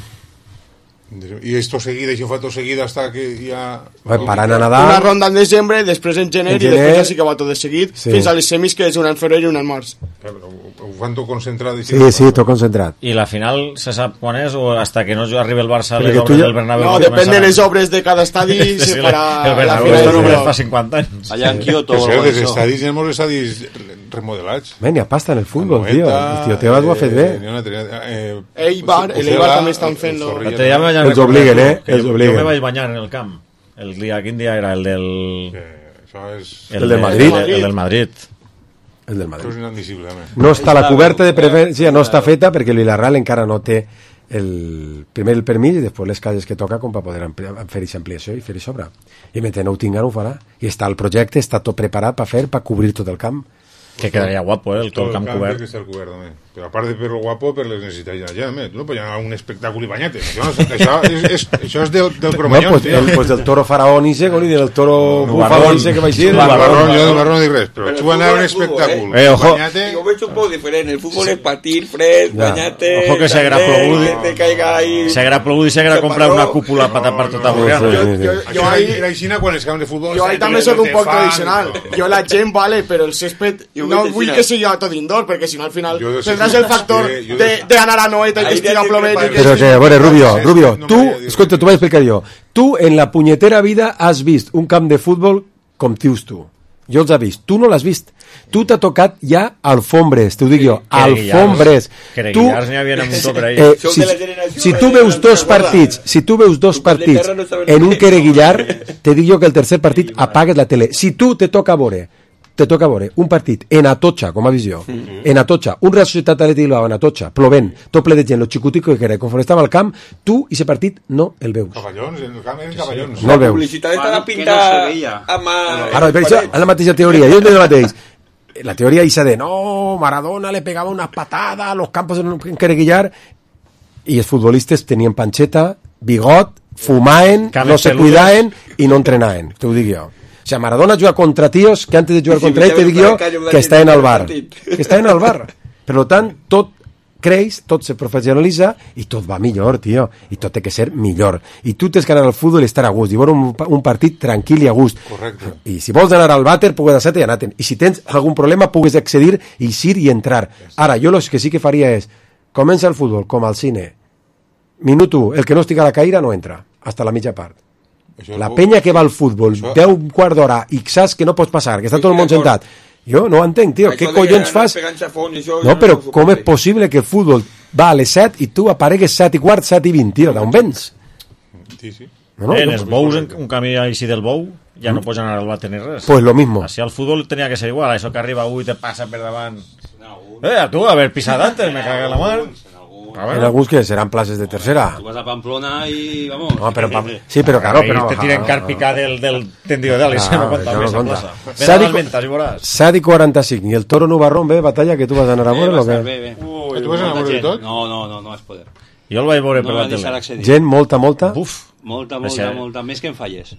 Y esto seguido, y fue todo seguido hasta que ya... Paran a nadar. Una ronda en desembre, després en gener, en gener i després ja sí que va tot de seguit, sí. Fins a les semis, que és una en febrer i una en març. Ho fan tot concentrat. Sí, sí, tot concentrat. I la final se sap quan és o hasta que no arribi el Barça a les Perquè obres ja... del Bernabéu? No, depèn de les obres de cada estadi i sí, se farà el Bernabéu la final. final. No fa cinquanta anys. Allà en Kioto. Però dels estadis, hi ha molts estadis remodelats. Ben, hi ha pasta en el futbol, tio. El tio Tebas ho ha fet bé. Eibar, el Eibar també estan fent-lo. Els obliguen, eh? Els obliguen. Jo me vaig banyar en el camp. El dia, quin dia era? El del... El del Madrid. El del Madrid. El del Madrid. Això és inadmissible. No està la coberta de preferència, no està feta perquè el Villarreal encara no té el primer el permís i després les cases que toca com per poder fer aquesta ampliació i fer-hi sobre. I mentre no ho tinguin ho farà. I està el projecte, està tot preparat per fer, per cobrir tot el camp. Que quedaria guapo, eh, el, tot el camp cobert. Que està el cobert, també. Però a part de per lo guapo, per les necessitats d'allà, també. Tu no pots anar a un espectacle i banyate. Això, això, és, és, això és del, del Cromanyón, no, pues, el, pues del toro faraón i segon i del toro no, bufador i que va així. No, barrón, jo del barrón no dic res, però tu anar a un espectacle. Eh, ojo. Jo veig un poc diferent. El futbol és patir, fred, banyate... Ojo que s'haguera plogut. Que te caiga ahí... S'haguera plogut i s'haguera comprat una cúpula per tapar tota Borriana. Això era aixina quan els camps de futbol... Jo ahí també soc un poc tradicional. Jo la gent, vale, però el césped no vull que sigui tot indoor, perquè si no al final tindràs el factor d'anar a Noeta i que estigui plovent. Però que, a veure, Rubio, Rubio, tu, escolta, t'ho vaig explicar jo. Tu, en la punyetera vida, has vist un camp de futbol com tius tu. Jo els he vist. Tu no l'has vist. Tu t'ha tocat ja alfombres, t'ho dic jo, alfombres. Tu, eh, si, si tu veus dos partits, si tu veus dos partits en un quereguillar, te dic jo que el tercer partit apagues la tele. Si tu te toca veure te toca veure un partit en Atocha, com a visió, mm-hmm. en Atocha, un Real Societat Atlètic Bilbao en Atocha, plovent, tot ple de gent, lo xicutico que era, conforme estava al camp, tu, i aquest partit, no el veus. Cavallons, el camp eren cavallons. No el veus. La publicitat està a pintar amb... Ara, per això, és la mateixa teoria, jo entenc el mateix. La teoria isa de, no, Maradona le pegava una patada a los campos en Quereguillar, i els futbolistes tenien panxeta, bigot, fumaven, no se cuidaven i no entrenaven, t'ho dic jo. O sea, Maradona juga contra tíos que antes de jugar contra ell te dic jo que està en el bar. Que està en el bar. Per tant, tot creix, tot se professionalitza i tot va millor, tio. I tot té que ser millor. I tu tens que anar al futbol i estar a gust. I veure un, un partit tranquil i a gust. Correcte. I si vols anar al vàter, pugues anar-te i anar-te'n. I si tens algun problema, pugues accedir, eixir i entrar. Ara, jo el que sí que faria és comença el futbol, com al cine. Minut u, el que no estigui a la caïra no entra. Hasta la mitja part. La penya que va al futbol, deu un quart d'hora, i saps que no pots passar, que està tot el món sentat, Jo no ho entenc, tio. Què collons fas? No, però com és possible que el futbol va a les set i tu aparegues set i quart, set i vint, tio? D'on vens? Sí, sí. No, no, en els bous, en un camí així del bou, ja no pots anar al bate ni res. Pues lo mismo. Així al futbol tenia que ser igual, això que arriba u i te passa per davant. Eh, a tu, haver pisat antes, me caga la mar. En alguns que seran places de tercera. Tú vas a Pamplona y vamos. No, pero Pam... Sí, pero claro, pero te tiren carpica del, del tendido de Alice, no cuenta més en plaça. Ven a les ventes i veuràs. set i quaranta-cinc, i el Toro Nubarrón ve, batalla, que tu vas anar a veure, o què? Bé, bé, Ui, tu vas anar a veure de tot? No, no, no, no és poder. Jo el vaig veure no per la tele. Gent, molta, molta? Buf. Molta, molta, molta, més que en falles.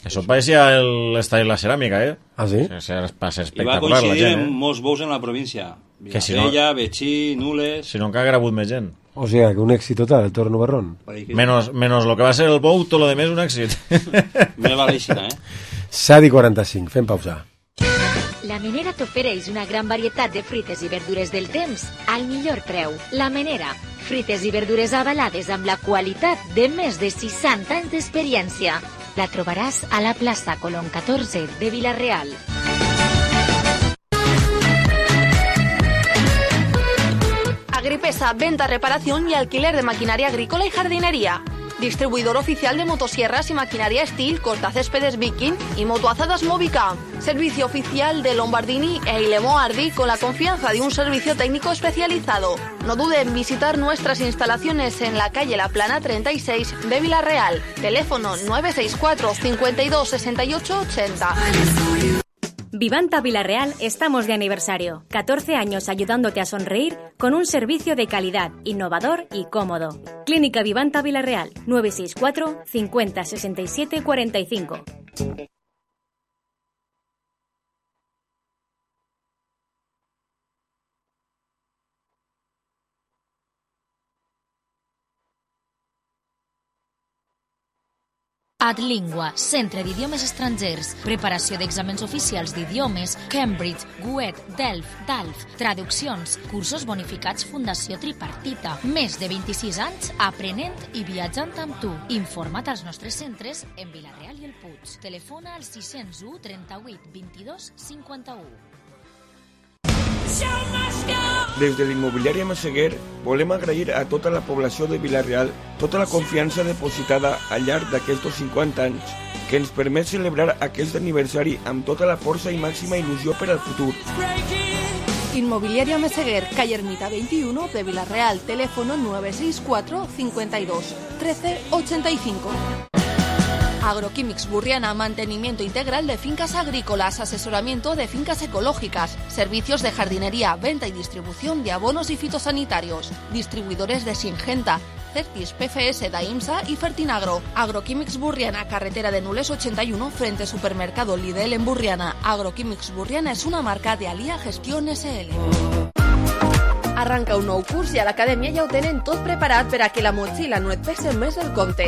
Això parecía l'estadi de la ceràmica, eh? Ah, sí? Va ser espectacular, I va coincidir la gent, eh? amb molts bous en la província. Villavella, si no... Betxí, Nules... Si no encara hagut més gent. O sea, que un èxit total, el Toro Nubarrón. Menos, menos lo que va ser el bou, tot lo demés un èxit. Me va l'eixina, eh? set i quaranta-cinc, fem pausa. La Menera t'ofereix una gran varietat de fruites i verdures del temps al millor preu. La Menera, fruites i verdures avalades amb la qualitat de més de seixanta anys d'experiència. La trobaràs a la plaça Colón catorze de Vila-real. Agripesa, venta, reparación y alquiler de maquinaria agrícola y jardinería. Distribuidor oficial de motosierras y maquinaria Steel, cortacéspedes Viking y motoazadas Movica. Servicio oficial de Lombardini e Ilemo Ardi con la confianza de un servicio técnico especializado. No dude en visitar nuestras instalaciones en la calle La Plana treinta y seis de Vila-real. Teléfono nueve seis cuatro, cincuenta y dos, sesenta y ocho, ochenta. Vivanta Vila-real estamos de aniversario. catorce años ayudándote a sonreír con un servicio de calidad, innovador y cómodo. Clínica Vivanta Vila-real, nueve seis cuatro, cincuenta, sesenta y siete, cuarenta y cinco. Adlingua, centre d'idiomes estrangers, preparació d'exàmens oficials d'idiomes, Cambridge, Goethe, Delft, Dalf, traduccions, cursos bonificats Fundació Tripartita. Més de vint-i-sis anys aprenent i viatjant amb tu. Informa't als nostres centres en Vila-real i el Puig. Telefona al sis zero u, trenta-vuit, vint-i-dos, cinquanta-u. Des de l'immobiliària Massaguer volem agrair a tota la població de Vila-real tota la confiança depositada al llarg d'aquests cinquanta anys que ens permet celebrar aquest aniversari amb tota la força i màxima il·lusió per al futur. Inmobiliaria Meseguer, calle Ermita veintiuno de Vila-real, teléfono nueve seis cuatro, cincuenta y dos, trece, ochenta y cinco. Agroquímics Burriana, mantenimiento integral de fincas agrícolas, asesoramiento de fincas ecológicas, servicios de jardinería, venta y distribución de abonos y fitosanitarios, distribuidores de Singenta, Certis, P F S, Daimsa y Fertinagro. Agroquímics Burriana, carretera de Nules ochenta y uno, frente supermercado Lidl en Burriana. Agroquímics Burriana es una marca de Alia Gestión S L. Arranca un nou curs i a l'acadèmia ja ho tenen tot preparat per a que la motxilla no et pese més el compte.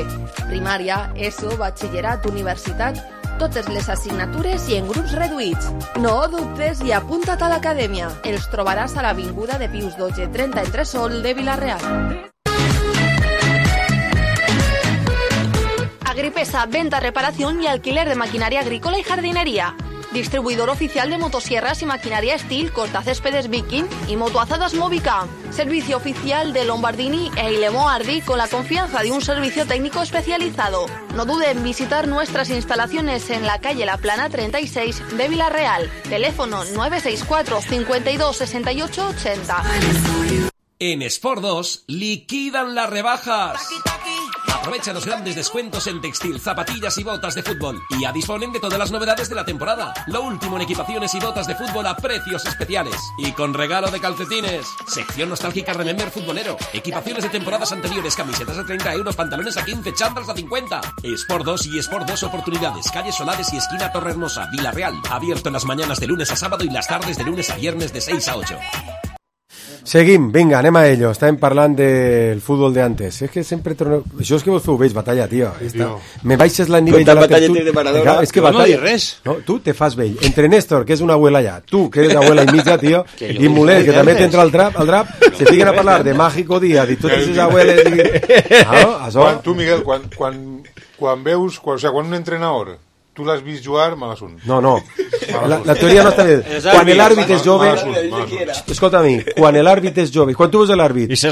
Primària, ESO, batxillerat, universitat, totes les assignatures i en grups reduïts. No dubtes i apunta't a l'acadèmia. Els trobaràs a l'avinguda de Pius dotze, trenta entre Sol de Vila-real. Agripesa, venta, reparación y alquiler de maquinaria agrícola y jardinería. Distribuidor oficial de motosierras y maquinaria Steel, cortacéspedes Viking y motoazadas Movica. Servicio oficial de Lombardini e Ilemo Ardi con la confianza de un servicio técnico especializado. No dude en visitar nuestras instalaciones en la calle La Plana treinta y seis de Vila-real. Teléfono nueve seis cuatro, cincuenta y dos, sesenta y ocho, ochenta. En Sport dos liquidan las rebajas. Aprovecha los grandes descuentos en textil, zapatillas y botas de fútbol. Y ya disponen de todas las novedades de la temporada. Lo último en equipaciones y botas de fútbol a precios especiales. Y con regalo de calcetines. Sección nostálgica Remember futbolero. Equipaciones de temporadas anteriores, camisetas a treinta euros, pantalones a quince, chándals a cincuenta. Sport dos y Sport dos Oportunidades. Calle Solares y esquina Torrehermosa, Vila-real. Abierto en las mañanas de lunes a sábado y las tardes de lunes a viernes de seis a ocho. Seguim, vinga, anem a ello. Estàvem parlant del futbol de antes. És que sempre torno... Això és que vos ho veig, batalla, tio. Està... Me baixes la nivell de la tertúlia. De Maradona. És que no, batalla... no res. No, tu te fas vell. Entre Néstor, que és una abuela ja, tu, que eres abuela i mitja, tio, i Mulet, que també t'entra al drap, al drap, se fiquen a parlar de Mágico Día, de totes les abueles... I... Ah, no? Això... Quan, tu, Miguel, quan, quan, quan veus... Quan, o sea, quan un entrenador tu l'has vist jugar, mal assunt. No, no, la, la teoria no està bé. Quan l'àrbit és jove... Escolta a mi, quan l'àrbit és jove, quan tu veus l'àrbit i té,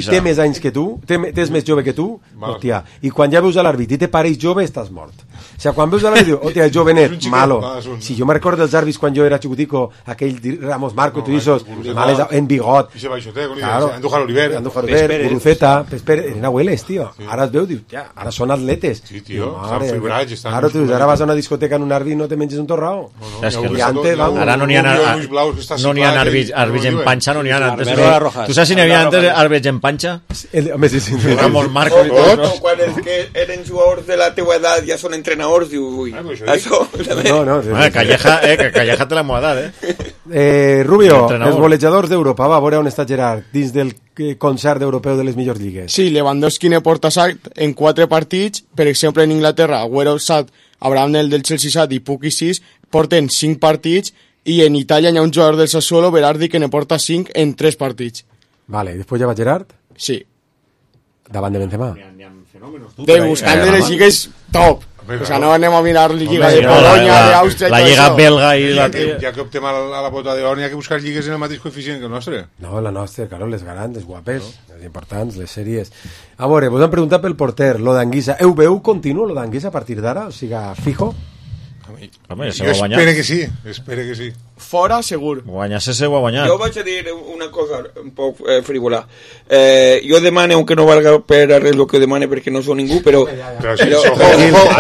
té més anys que tu, té, té més jove que tu, hòstia, i quan ja veus l'àrbit i te pareix jove, estàs mort. O sigui, quan veus l'àrbit, dius, hòstia, és jovenet, malo. Si jo me recordo dels àrbits quan jo era xicutico, aquell Ramos Marco, tu dices, males, en bigot. I se baixote, Andújar Oliver. Andújar Oliver, Guruceta, eren abueles, tio. Ara es veu, dius, ja, ara són atletes. Sí, tio, s'han fibrats. Ara tu ara vas a una discoteca en un àrbit i no te menges un torrao. Ara no n'hi ha no n'hi ha àrbits en panxa, no n'hi ha antes. Tu saps si n'hi havia antes àrbits en panxa? Home, sí, sí. Ramos Marco i tots. Quan és que eren jugadors de la teua edat ja són entrenadors, diu, ui, això... No, no. Calleja, eh, que Calleja té la meva edat, eh. Eh, Rubio, els golejadors d'Europa, va, a veure on està Gerard, dins del concert europeu de les millors lligues. Sí, Lewandowski ne porta set en quatre partits, per exemple en Inglaterra, Agüero set, Abraham el del Chelsea set i Puki sis, porten cinc partits, i en Itàlia hi ha un jugador del Sassuolo, Berardi, que ne porta cinc en tres partits. Vale, i després ja va Gerard? Sí. Davant de Benzema? De buscant de les lligues top. O sea, no anem a mirar la Lliga de Polonia, d'Àustria... La Lliga belga i la... Ja que optem a la bota d'or, hi ha que buscar lligues en el mateix coeficient que el nostre. No, la nostra, claro, les grans, les guapes, les importants, les sèries. A veure, vos han preguntat pel porter, lo d'Anguissa. Heu veu continu, lo d'Anguissa, a partir d'ara? O sigui, fijo? Home, jo espero que sí, espero que sí. Fora, segur. Guanyar-se se ho ha guanyat. Jo vaig a dir una cosa un poc eh, frívola. Eh, jo demane, aunque no valga per a res el que demane, perquè no sou ningú, però... Però sí, però, ojo, ojo,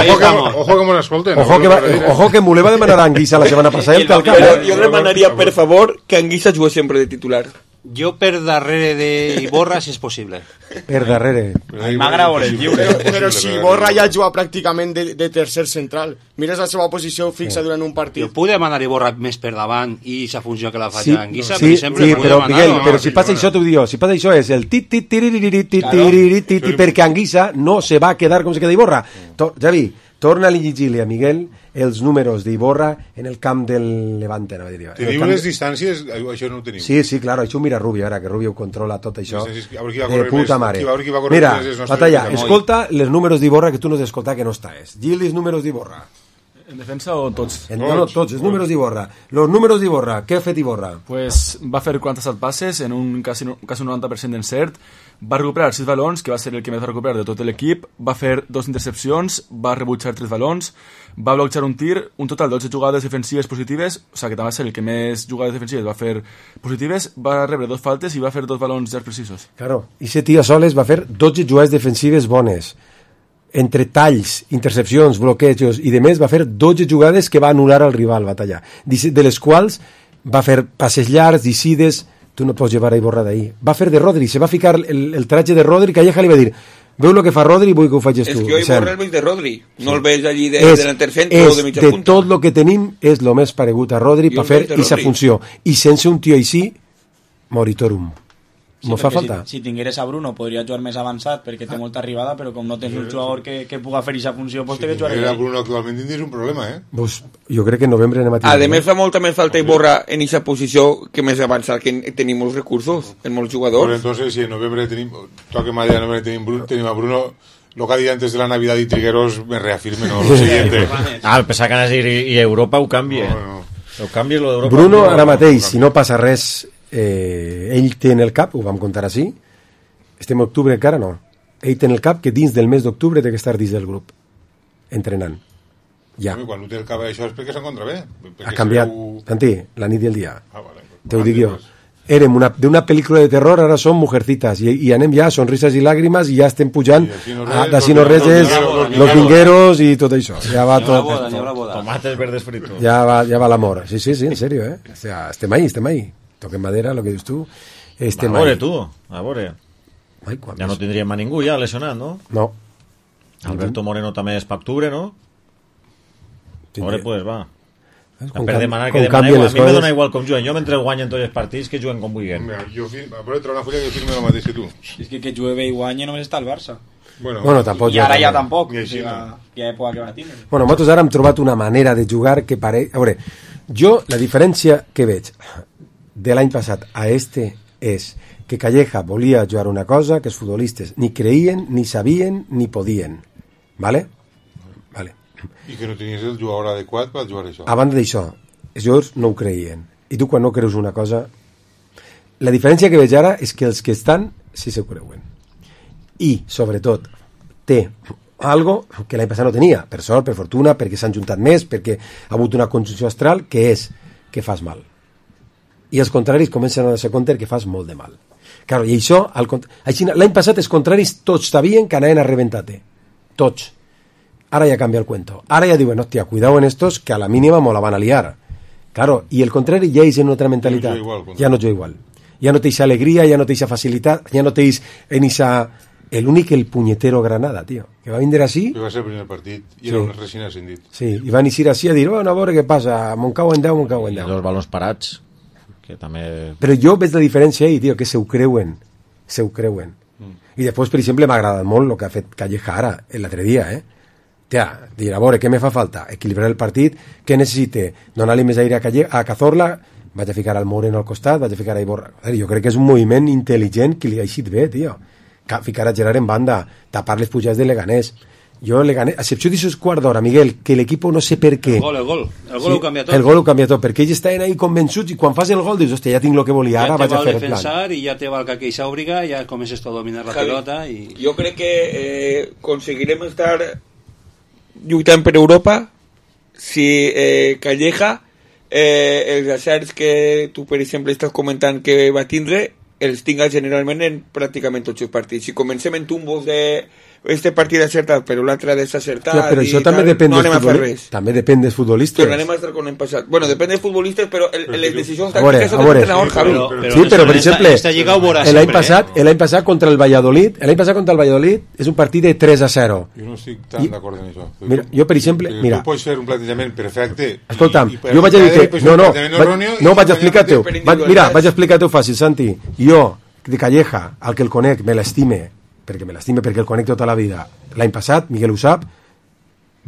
ojo, que, ojo que me l'escolten. Ojo, que, ojo que Mulé va demanar a Anguissa la setmana passada. Però jo demanaria, per favor, que Anguissa jugue sempre de titular. Jo per darrere de Iborra, si és possible. Per darrere. M'agrada el lliure. Però, però si Iborra ja juga pràcticament de, de tercer central. Mires la seva posició fixa durant un partit. Jo puc demanar Iborra més per davant i sa funció que la fa sí, Anguissa, sí, per exemple. Sí, però, Miguel, no, però si passa això, t'ho dic, si passa això és el tit, tit, tit, tit, tit, perquè Anguissa no se va quedar com se queda Iborra. Javi, torna a llegir-li a Miguel els números d'Iborra en el camp del Levante. No? Teniu les distàncies? Això no ho teniu. Sí, sí, claro, això ho mira Rubio, ara que Rubio controla tot això. De puta mare. Mira, Batalla, escolta els números d'Iborra que tu no has d'escoltar que no està. Gil, els números d'Iborra. En defensa o tots? En, no, no, tots, els números d'Iborra. Los números d'Iborra, què ha fet Iborra? Pues va fer quaranta-set passes en un quasi, quasi un noranta per cent d'encert, va recuperar sis balons, que va ser el que més va recuperar de tot l'equip, va fer dos intercepcions, va rebutjar tres balons, va bloquejar un tir, un total de dotze jugades defensives positives, o sigui que també va ser el que més jugades defensives va fer positives, va rebre dos faltes i va fer dos balons ja precisos. Claro, i ese tio soles va fer dotze jugades defensives bones. Entre talls, intercepcions, bloquejos i de més va fer dotze jugades que va anul·lar al rival, Batalla, de les quals va fer passes llargs, decides, tu no pots llevar a Iborra d'ahir. Va fer de Rodri, se va ficar el, el tratge de Rodri, que Calleja li va dir, veu el que fa Rodri i vull que ho facis tu. És que jo Iborra el veig de Rodri, no el veig allí de, de l'entercentre o de mitja de punta. De tot el que tenim és el més paregut a Rodri per fer aquesta funció. I sense un tio així, moritorum. Sí, no fa falta. Si, si tingueres a Bruno podria jugar més avançat perquè té molta arribada, però com no tens un jugador que, que puga fer aquesta funció, pues sí, té que jugar a Bruno actualment tindries un problema, eh? Pues, jo crec que en novembre anem a tindre. A més fa molta més falta Iborra en aquesta posició que més avançat, que tenim molts recursos en molts jugadors. Pues entonces, si en novembre tenim, toque madera, en novembre tenim, Bruno, tenim a Bruno, lo que ha dit antes de la Navidad y Trigueros me reafirme, no, lo siguiente. Ah, pensava que anaves a dir i Europa ho canvia. No, no. Ho canvia lo d'Europa. Bruno, ara mateix, si no passa res, eh, ell té en el cap, ho vam contar així, estem a octubre encara, no, ell té en el cap que dins del mes d'octubre té que estar dins del grup, entrenant. Ja. Home, quan no té el cap això és perquè s'encontra bé. Ha canviat, veu... Tantí, la nit i el dia. Ah, vale. Te ho dic jo. Érem una, d'una pel·lícula de terror, ara som Mujercitas, i, i anem ja, sonrises i làgrimes, i ja estem pujant d'ací no reses, los vingueros i tot això. Ja va tot. Tomates verdes fritos. Ja va, ja va l'amor. Sí, sí, sí, en serio, eh? O sea, estem ahí, estem ahí. Toquem madera, lo que dius tu. Estem a veure, tu, a veure. Ai, ja no tindríem a ningú ja lesionat, no? No. Alberto Moreno també és per octubre, no? A veure, pues va. Com per demanar com que demanar, a mi coses... me dona igual com juguen, jo mentre guanyen tots els partits que juguen com vulguin. Mira, jo a veure, trobar una fulla que firme el mateix que tu. És que que jugue bé i guanye només està el Barça. Bueno, bueno tampoc. I ara ja tampoc. I així, ja, ja època que va tindre. Bueno, nosaltres ara hem trobat una manera de jugar que pare... A veure, jo la diferència que veig de l'any passat a este és que Calleja volia jugar una cosa que els futbolistes ni creien, ni sabien, ni podien. ¿Vale? Vale. I que no tenies el jugador adequat per jugar això. A banda d'això, els jugadors no ho creien. I tu quan no creus una cosa... La diferència que veig ara és que els que estan sí se ho creuen. I, sobretot, té algo que l'any passat no tenia, per sort, per fortuna, perquè s'han juntat més, perquè ha hagut una conjunció astral, que és que fas mal. I els contraris comencen a donar-se compte que fas molt de mal. Claro, i això, l'any passat els contraris tots sabien que anaven a rebentar-te. Tots. Ara ja canvia el cuento. Ara ja diuen, hòstia, cuidado en estos, que a la mínima me la van a liar. Claro, i el contrari ja és en una altra mentalitat. No igual, ja no jo igual. Ja no té eixa alegria, ja no té eixa facilitat, ja no té en eixa... L'únic, el punyetero Granada, tío, que va vindre així... Que va ser el primer partit, i sí. Era un recién ascendit. Sí, i van eixir així a dir, bueno, a veure què passa, Montcau en deu, Montcau en deu. I els balons parats, que també... Però jo veig la diferència ahí, tío, que se ho creuen, se ho creuen. Mm. I després, per exemple, m'ha agradat molt el que ha fet Calleja ara, l'altre dia, eh? Tia, dir, a veure, què me fa falta? Equilibrar el partit, què necessite? Donar-li més aire a, Calle, a Cazorla, vaig a ficar al Moreno al costat, vaig a ficar a Iborra. Jo crec que és un moviment intel·ligent que li ha eixit bé, tio. Ficar a Gerard en banda, tapar les pujades de Leganés. Jo, Leganés, a excepció d'aixòs quart d'hora, Miguel, que l'equip no sé per què... El gol, el gol. El gol sí, ho canvia tot. El gol ho canvia tot, perquè ells estaven ahí convençuts i quan fas el gol dius, hòstia, ja tinc el que volia, ara vaig a fer el plan. Ja te va i ja te va el que aquella obriga, ja comences a dominar la Javi, pelota i... Jo crec que eh, conseguirem estar lluitant per Europa si eh, Calleja eh, els acerts que tu, per exemple, estàs comentant que va tindre els tinga generalment en pràcticament tots els partits. Si comencem en tumbos de este partit acertat però l'altre desacertat, ja, però això també tal, depèn no dels futbolistes. També depèn dels futbolistes. Tornarem a estar com l'any passat. Bueno, depèn dels futbolistes, però el, les decisions tàctiques són del entrenador, Javi. Sí, però per exemple, l'any passat, l'any passat contra el Valladolid, l'any passat contra el Valladolid és un partit de tres a zero. Jo no estic tan d'acord en això. Mira, jo per exemple, mira. Tu pots fer un plantejament perfecte. Escolta'm, jo vaig a dir, no, no, no vaig a explicar-te-ho. Mira, vaig a explicar-te-ho fàcil, Santi. Jo de Calleja, al que el conec, me l'estime, perquè me l'estime, perquè el conec tota la vida. L'any passat, Miguel ho sap,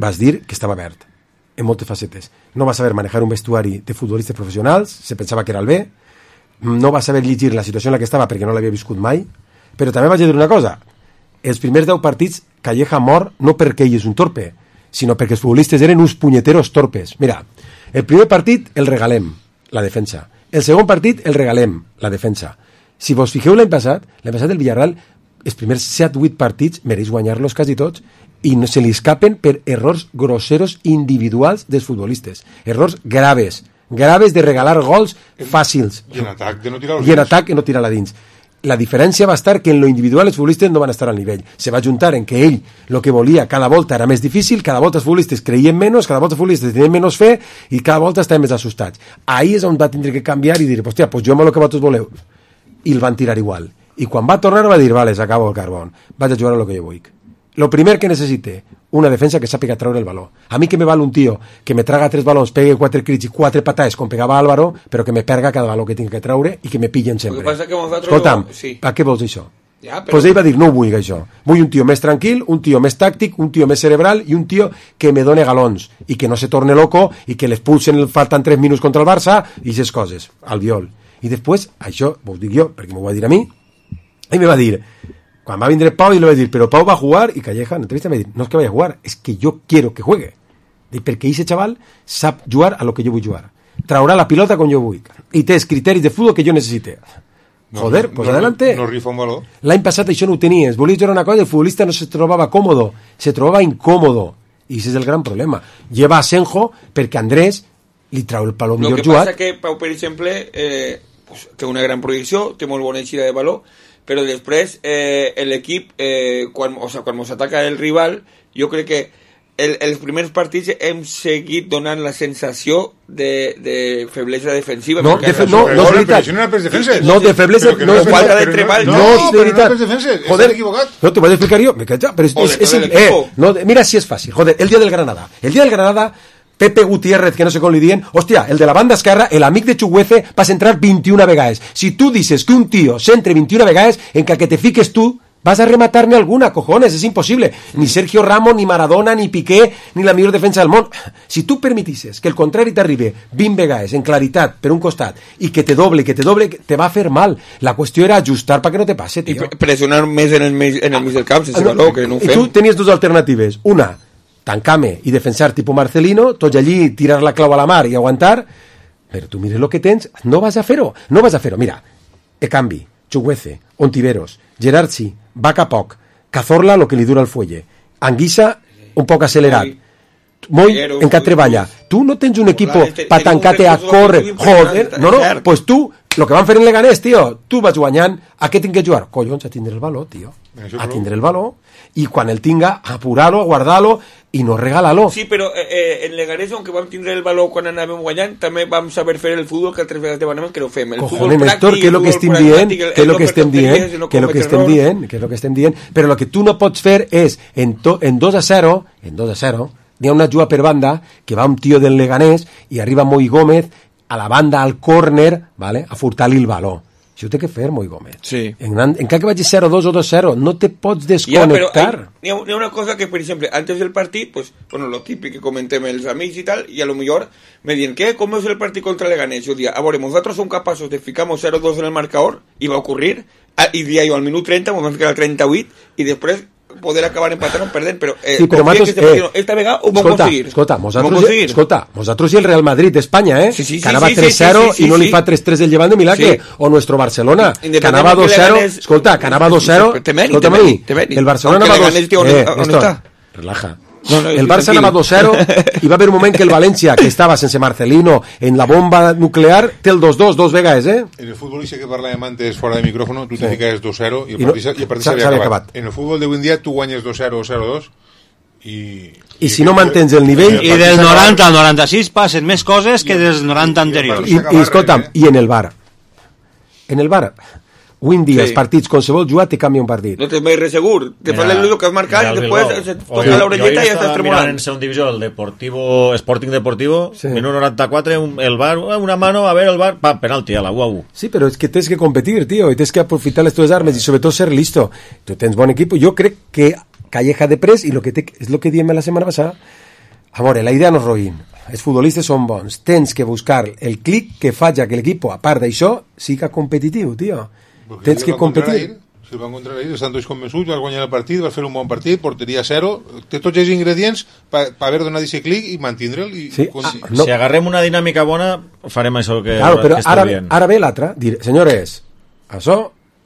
vas dir que estava verd, en moltes facetes. No va saber manejar un vestuari de futbolistes professionals, se pensava que era el bé, no va saber llegir la situació en la que estava perquè no l'havia viscut mai, però també vaig dir una cosa, els primers deu partits Calleja mor no perquè ell és un torpe, sinó perquè els futbolistes eren uns punyeteros torpes. Mira, el primer partit el regalem, la defensa. El segon partit el regalem, la defensa. Si vos fixeu l'any passat, l'any passat el Villarreal, els primers set vuit partits mereix guanyar-los quasi tots i no se li escapen per errors grosseros individuals dels futbolistes. Errors graves, graves de regalar gols fàcils. I en atac de no tirar I en atac de no tirar-la dins. La diferència va estar que en lo individual els futbolistes no van estar al nivell. Se va juntar en que ell el que volia cada volta era més difícil, cada volta els futbolistes creien menys, cada volta els futbolistes tenien menys fe i cada volta estaven més assustats. Ahí és on va tindre que canviar i dir, hòstia, pues jo amb el que vosaltres voleu. I el van tirar igual. I quan va tornar va dir, vale, s'acaba el carbón, vaig a jugar a lo que jo vull. Lo primer que necessite, una defensa que sàpiga treure el baló. A mi que me val un tio que me traga tres balons, pegue quatre crits i quatre patades com pegava Álvaro, però que me perga cada baló que tinc que treure i que me pillen sempre. Passa que Escolta'm, no... sí. a què vols això? Ja, però... Pues ell va dir, no ho vull això. Vull un tio més tranquil, un tio més tàctic, un tio més cerebral i un tio que me done galons i que no se torne loco i que l'expulsen, falten tres minuts contra el Barça i aquestes coses, al viol. I després, això ho dic jo, perquè m'ho va dir a mi, i me va dir, quan va vindre Pau, i le va dir, però Pau va a jugar, i Calleja en entrevista me va dir, no es que vaya a jugar, es que yo quiero que juegue. Dic, perquè ese chaval sap jugar a lo que yo vull jugar. Traurà la pilota com jo vull. I té els criteris de futbol que jo necessite. Joder, no, pues no, adelante. No rifa un valor. L'any passat això no ho tenies. Volies jugar una cosa i el futbolista no se trobava còmodo, se trobava incòmodo. I ese és el gran problema. Lleva a Senjo perquè Andrés li trau el palo millor jugat. Lo que passa que Pau, per exemple, eh, pues, té una gran projecció, té molt bona eixida de valor, però després eh, l'equip, eh, quan, o sea, quan ens ataca el rival, jo crec que el, els primers partits hem seguit donant la sensació de, de feblesa defensiva. No, de fe, no, no, és veritat. No, de feblesa, no, no, falta de treball. No, no, és veritat. Joder, equivocat. No, te voy a explicar yo. Me cacha, pero es, es, es, es eh, no, mira si es fácil. Joder, el día del Granada. El día del Granada, Pepe Gutiérrez, que no sé com li dient, hòstia, el de la banda esquerra, el amic de Chuguece, vas entrar vint-i-una vegades. Si tu dices que un tío s'entre vint-i-una vegades, en que, que te fiques tu, vas a rematar-ne alguna, cojones, és impossible. Ni Sergio Ramos, ni Maradona, ni Piqué, ni la millor defensa del món. Si tu permetisses que el contrari t'arribi vint vegades en claritat per un costat i que te doble, que te doble, te va a fer mal. La qüestió era ajustar perquè no te passe, tio. I pressionar més en el mig, en el mig del camp, sense no, valor, que no ho fem. I tu tenies dues alternatives. Una, tancar-me i defensar tipus Marcelino, tots allí tirar la clau a la mar i aguantar, però tu mires el que tens, no vas a fer-ho, no vas a fer-ho. Mira, Ekambi, Chukwueze, Ontiveros, Gerardsi, Vaca poc, Cazorla lo que li dura el fuelle, Anguissa un poc accelerat, Moi encara treballa. Tu no tens un equip per tancar-te a córrer, joder, no, no, pues tu, lo que van fer en Leganés, tio, tu vas guanyant, a què tinc que jugar? Collons, a tindre el valor, tio, a tindre el valor, i quan el tinga, apurar-lo, guardar-lo, i no regalar-lo. Sí, però eh, en Leganés, aunque vam tindre el valor quan anàvem guanyant, també vam saber fer el futbol que altres vegades demanem que no fem. El Cojones, Néstor, què és el que estem dient? Què és el que estem dient? Què és el que estem dient? Què és el que estem dient? Però el que tu no pots fer és, en, to, en dos a zero, en dos a zero, n'hi ha una juga per banda, que va un tio del Leganés, i arriba Moi Gómez a la banda, al córner, ¿vale? A furtar-li el valor. Això ho té que fer, Moi Gómez. Sí. En, en cada que vagi zero dos o dos zero, no te pots desconnectar. N'hi ha, ha una cosa que, per exemple, antes del partit, pues, bueno, lo típico que comentem els amics i tal, i a lo millor me diuen, ¿qué? ¿Cómo es el partit contra Leganés? Yo diría, a veure, nosotros som capaços de ficamos zero dos en el marcador, i va ocurrir, i diria jo, al minut trenta, ens vam ficar al trenta-vuit, i després poder acabar empatant o perdent, però, eh, sí, però matos, que eh, esta vegada ho vam escolta, aconseguir. Escolta, nosaltres, escolta, nosaltres i el Real Madrid d'Espanya, eh? Sí, sí, sí, que anava sí, tres cero sí, sí, i no sí, li fa tres tres el llevant de Milagre, sí. O nuestro Barcelona, que anava dos cero, escolta, que anava dos cero, escolta-me, el Barcelona anava dos cero, eh, Néstor, relaja. No, no, el Barça anava dos cero i va haver un moment que el València, que estava sense Marcelino en la bomba nuclear, té el dos dos, dos vegades, eh? En el fútbol ese que parlàvem antes fora de micrófono, tu sí. Te fiques dos cero i el partit no, s'havia acabat. acabat. En el fútbol d'avui en dia tu guanyes dos cero o zero dos i... I si no mantens el nivell... I del noranta al noranta-sis passen més coses que dels noranta anteriors. I, i escolta'm, i en el bar? En el bar... Avui en dia, sí. Els partits, qualsevol jugat te canvia un partit. No tens mai res segur. Te fa el que has marcat i després se toca l'orelleta i ja estàs tremolant. En segunda divisió, el Deportivo, Sporting Deportivo, sí. Minut noranta-quatre, el bar, una mano, a ver el bar, pa, penalti, a la u a u. Sí, però és que tens que competir, tío, i tens que aprofitar les teves armes i sobretot ser listo. Tu tens bon equip. Jo crec que Calleja de pres i lo que te, és el que diem la setmana passada. A veure, la idea no és roïn. Els futbolistes són bons. Tens que buscar el clic que faci que l'equip, a part d'això, siga competitiu, tio. Porque tens que competir. Si el van contra l'Air, estan tots convençuts, vas guanyar el partit, vas fer un bon partit, porteria zero, té tots els ingredients per pa haver donat aquest clic i mantindre'l. I sí. con... ah, no. Si agarrem una dinàmica bona, farem això que, claro, però que ara, bien. Ara ve l'altra, dir, senyores, això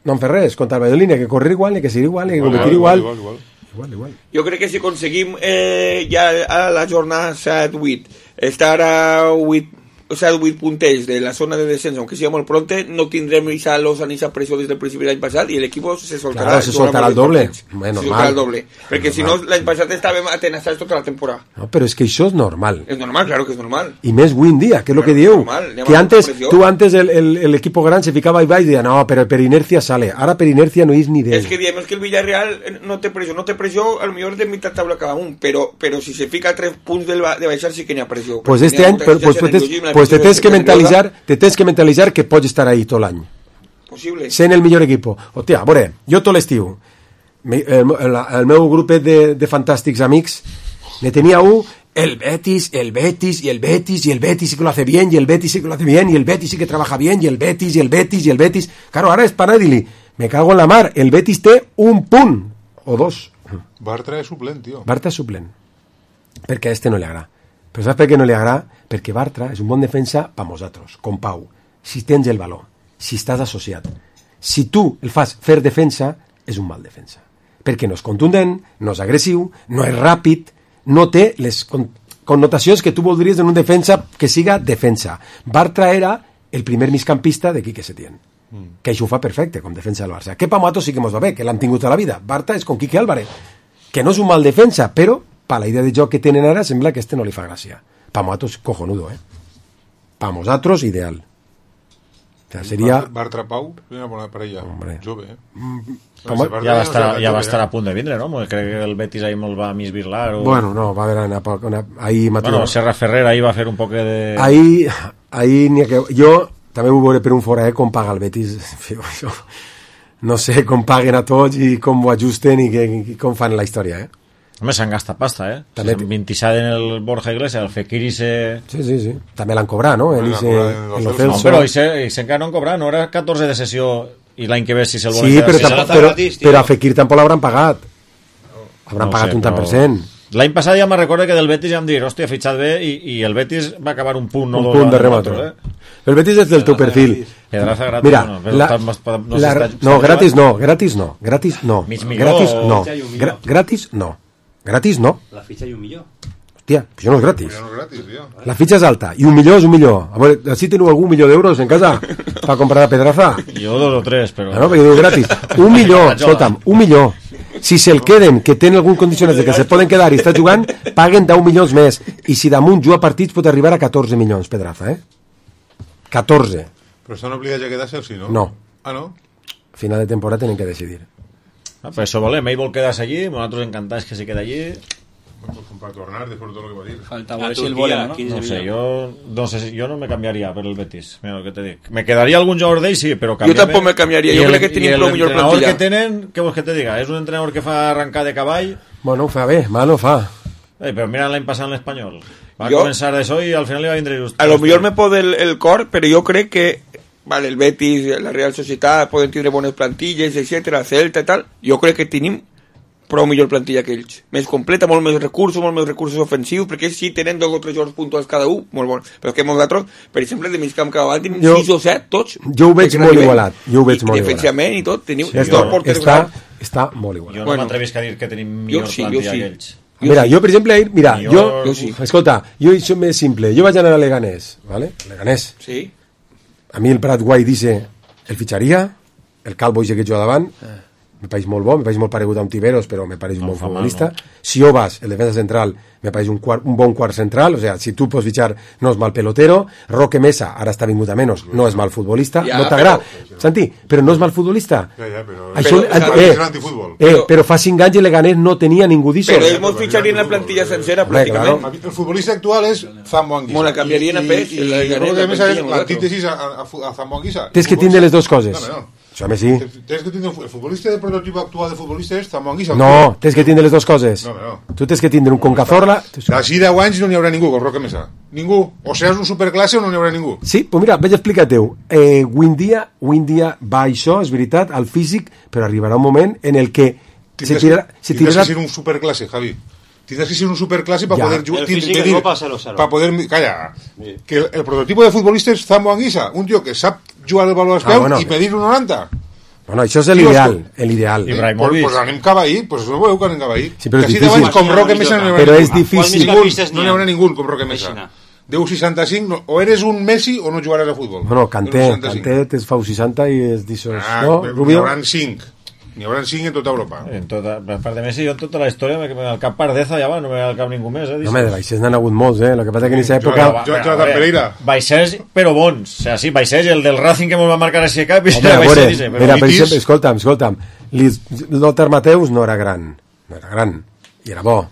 no en fer res, contra el Valladolid, que correr igual, ni que seguir igual, ni que competir igual. Igual, igual, igual. igual, igual. Jo crec que si aconseguim eh, ja a la jornada set vuit estar a vuit o sea, vuit puntells de la zona de descens, aunque sea molt pronte, no tindrem esa losa ni esa pressió des del principi de l'any passat i l'equip se soltarà. Claro, se soltarà el doble. Bueno, se soltarà el doble. Perquè si no, l'any passat estàvem atenaçats tota la temporada. No, però és que això és normal. És normal, claro que és normal. I més avui en dia, que és el que diu. Que antes, tu antes el, el, el equipo gran se ficava i va i deia, no, però per inercia sale. Ara per inercia no és ni idea. És que diem que el Villarreal no té pressió, no té pressió, a lo millor de mitad tabla cada un, però, però si se fica a tres punts del, de baixar sí que n'hi ha pressió. Pues este any, pues, pues, pues, pues te tens que mentalitzar te tens que mentalitzar que pots estar ahí tot l'any. Possible. Sent el millor equip. Hòstia, a veure, jo tot l'estiu, el, el, el meu grupet de, de fantàstics amics, ne tenia un, el Betis, el Betis, y el Betis, y el Betis sí que lo hace bien, y el Betis sí que lo hace bien, y el Betis sí que trabaja bien, y el Betis, y el Betis, y el Betis... Claro, ara és para dir-li, me cago en la mar, el Betis té un punt, o dos. Bartra és suplent, tio. Bartra és suplent, perquè a este no li agrada. Però saps per què no li agrada? Perquè Bartra és un bon defensa per nosaltres, com Pau. Si tens el valor, si estàs associat. Si tu el fas fer defensa, és un mal defensa. Perquè no és contundent, no és agressiu, no és ràpid, no té les connotacions que tu voldries en un defensa que siga defensa. Bartra era el primer migcampista de Quique Setién, mm. que això ho fa perfecte com defensa del Barça. Que Pamato sí que mos va bé, que l'han tingut a la vida. Bartra és com Quique Álvarez, que no és un mal defensa, però pa la idea de joc que tenen ara sembla que este no li fa gràcia. Pa nosaltres cojonudo, eh? Pa nosaltres ideal. O sea, seria... Bartra Pau, una bona parella. Hombre. Jove, eh? Mm, ja va estar, ja va estar a punt de vindre, no? Crec que el Betis ahí molt va misbirlar. O... Bueno, no, va haver una poc... Una... Ahí bueno, Serra Ferrer ahí va fer un poc de... Ahí, ahí n'hi ha que... Jo també ho veuré per un fora, eh? Com paga el Betis. No sé com paguen a tots i com ho ajusten i, que, i com fan la història, eh? Home, s'han gastat pasta, eh? També si vint-i-set en el Borja Iglesias, el Fekir i se... Sí, sí, sí. També l'han cobrat, no? En ese, en lo Celso. No, però i se, i se encara no han cobrat, no? Era catorze de sessió i l'any que ve si se'l volen sí, però, si tampoc, però, però a Fekir tampoc l'hauran pagat. Hauran no pagat sé, un tant per cent. L'any passat ja me recordo que del Betis ja em dir, hòstia, ha fitxat bé, i, i el Betis va acabar un punt, no un dos, punt de remat. eh? El Betis és del teu perfil. Pedraza gratis, Mira, no, però la, està- no la, s'està- no, s'està gratis jugant. no, gratis no, gratis no, Mig milió gratis o- no, Fitxa i un milió. Gra gratis no, gratis no, La fitxa i un millor. hòstia, això no és gratis. No és gratis, tio. La fitxa és alta, i un milió és un milió. A veure, si teniu algun milió d'euros en casa per comprar la Pedraza? Jo dos o tres, però... Ah, no, perquè diu gratis. Un milió, escolta'm, un milió. Si se'l queden, que tenen algun condicionat de que se poden quedar i està jugant, paguen deu milions més. I si damunt juga partits pot arribar a catorze milions, Pedraza, eh? catorze. Però estan obligats a quedar-se, sí, no? No. Ah, no? Final de temporada tenen que decidir. Ah, per això volem, ell vol quedar-se allí, nosaltres encantats que se queda allí. Para tornar después de todo lo que va a decir. Falta A veure si el Turquia, volen, no? quinze No sé, milions. jo no sé si jo no me canviaria per el Betis, mira el que te dic. Me quedaria algun jugador d'ell, sí, però Jo canviar-me... tampoc me canviaria, I jo el- crec que tenim i el prou millor entrenador plantilla. que tenen, què vols que te diga? És un entrenador que fa arrencar de cavall, Bueno, ho fa bé, mal no fa. eh, però mira l'any passat en l'Espanyol. Va Jo- començar d'això i al final li va vindre just. A lo millor me pot el, el cor, però jo crec que vale, el Betis, la Real Societat poden tindre bones plantilles, etcètera, Celta i tal. Jo crec que tenim prou millor plantilla que ells. Més completa, molt més recursos, molt més recursos ofensius, perquè ells sí tenen dos o tres jugadors puntuals cada un, molt bons. Però que nosaltres, per exemple, de mig camp cada vegada tenim Jo- sis o set, tots. Jo ho veig de molt gran igualat, jo ho veig I molt igualat. defensivament i tot, teniu Sí, dos està, porters està, grans. està molt igual. Jo no Bueno. m'atrevisc a dir que tenim millor sí, jo plantilla sí. que ells. Mira, jo, per exemple, ahir, mira, Jo- jo, jo sí. escolta, jo això més simple, jo vaig anar a Leganés, ¿vale? Leganés. Sí. A mi el Prat Guai dice, el fitxaria, el Calvo ese que juga davant, me pareix molt bo, me pareix molt paregut a un Tiberos, però me pareix un No bon fa mal, futbolista. no? Siobas, el defensa central, me pareix un, quart, un bon quart central, o sea, si tu pots fitxar, no és mal pelotero. Roque Mesa, ara està vingut a menys, no és mal futbolista, Ja, no t'agrada. Santi, però no és mal futbolista. Ja, ja, però... Això, Però- eh, és l'antifutbol. eh, però fa cinc anys el Leganés no tenia ningú d'ixo. Però ells mos fitxarien la plantilla sencera, Hombre, pràcticament. El futbolista actual és Zambo Anguissa. Mo la canviarien a pes, I, el i, Leganés, i la a més és plantilla, l'antítesis a, a, a Zambo Anguissa. Tens que tindre les dues coses. No, no. Això, home, sí. Tens que tindre el futbolista de prototip actual de futbolista és Zambo Anguissa. No, tens que tindre les dues coses. No, no. Tu tens que tindre un Concazorla... D'ací deu anys no n'hi haurà ningú com Roque Mesa. Ningú. O seràs un superclasse o no n'hi haurà ningú. Sí, pues mira, vaig a explicar-te-ho. Eh, avui en dia, avui en dia va això, és veritat, al físic, però arribarà un moment en el que se Tindràs, tirarà... Se tindràs tirarà... que ser un superclasse, Javi. Tindràs que ser un superclasse para Ya. poder jugar. El físic es copa cero cero. Para poder. Calla. Que el, el prototipo de futbolista és Zambo Anguissa, un tio que sap jugar el baló als Ah, peus bueno. i medir un noranta. Bueno, això és Sí, l'ideal, l'ideal. Pues, pues anem cap ahí, pues no veu que anem cap ahí. Sí, però és Casi difícil. deu anys com Roque Mesa no n'hi haurà Però ningú. és difícil. Ningú, no n'hi haurà ningú com Roque Mesa. Deu seixanta-cinc, no, o eres un Messi o no jugaràs a futbol. Bueno, Kanté, Deu seixanta-cinc. Kanté es fa seixanta i és d'això, Ah, no, n'hi Rubio? haurà cinc. N'hi haurà cinc en tota Europa. En tota, a part de Messi, jo en tota la història me, me al cap Pardeza ja va, no me ve al cap ningú més, eh? No, home, de baixers n'han hagut molts, eh? El que passa que en aquesta època... Jo- jo- Jonathan Pereira. Baixers, però bons. O sea, sí, Baixers, el del Racing que mos va marcar així a cap, i Home, a veure, Baixers, dice, però mira, per Vitis- exemple, escolta'm, escolta'm, Lis- Lothar Mateus no era gran, no era gran, i era bo.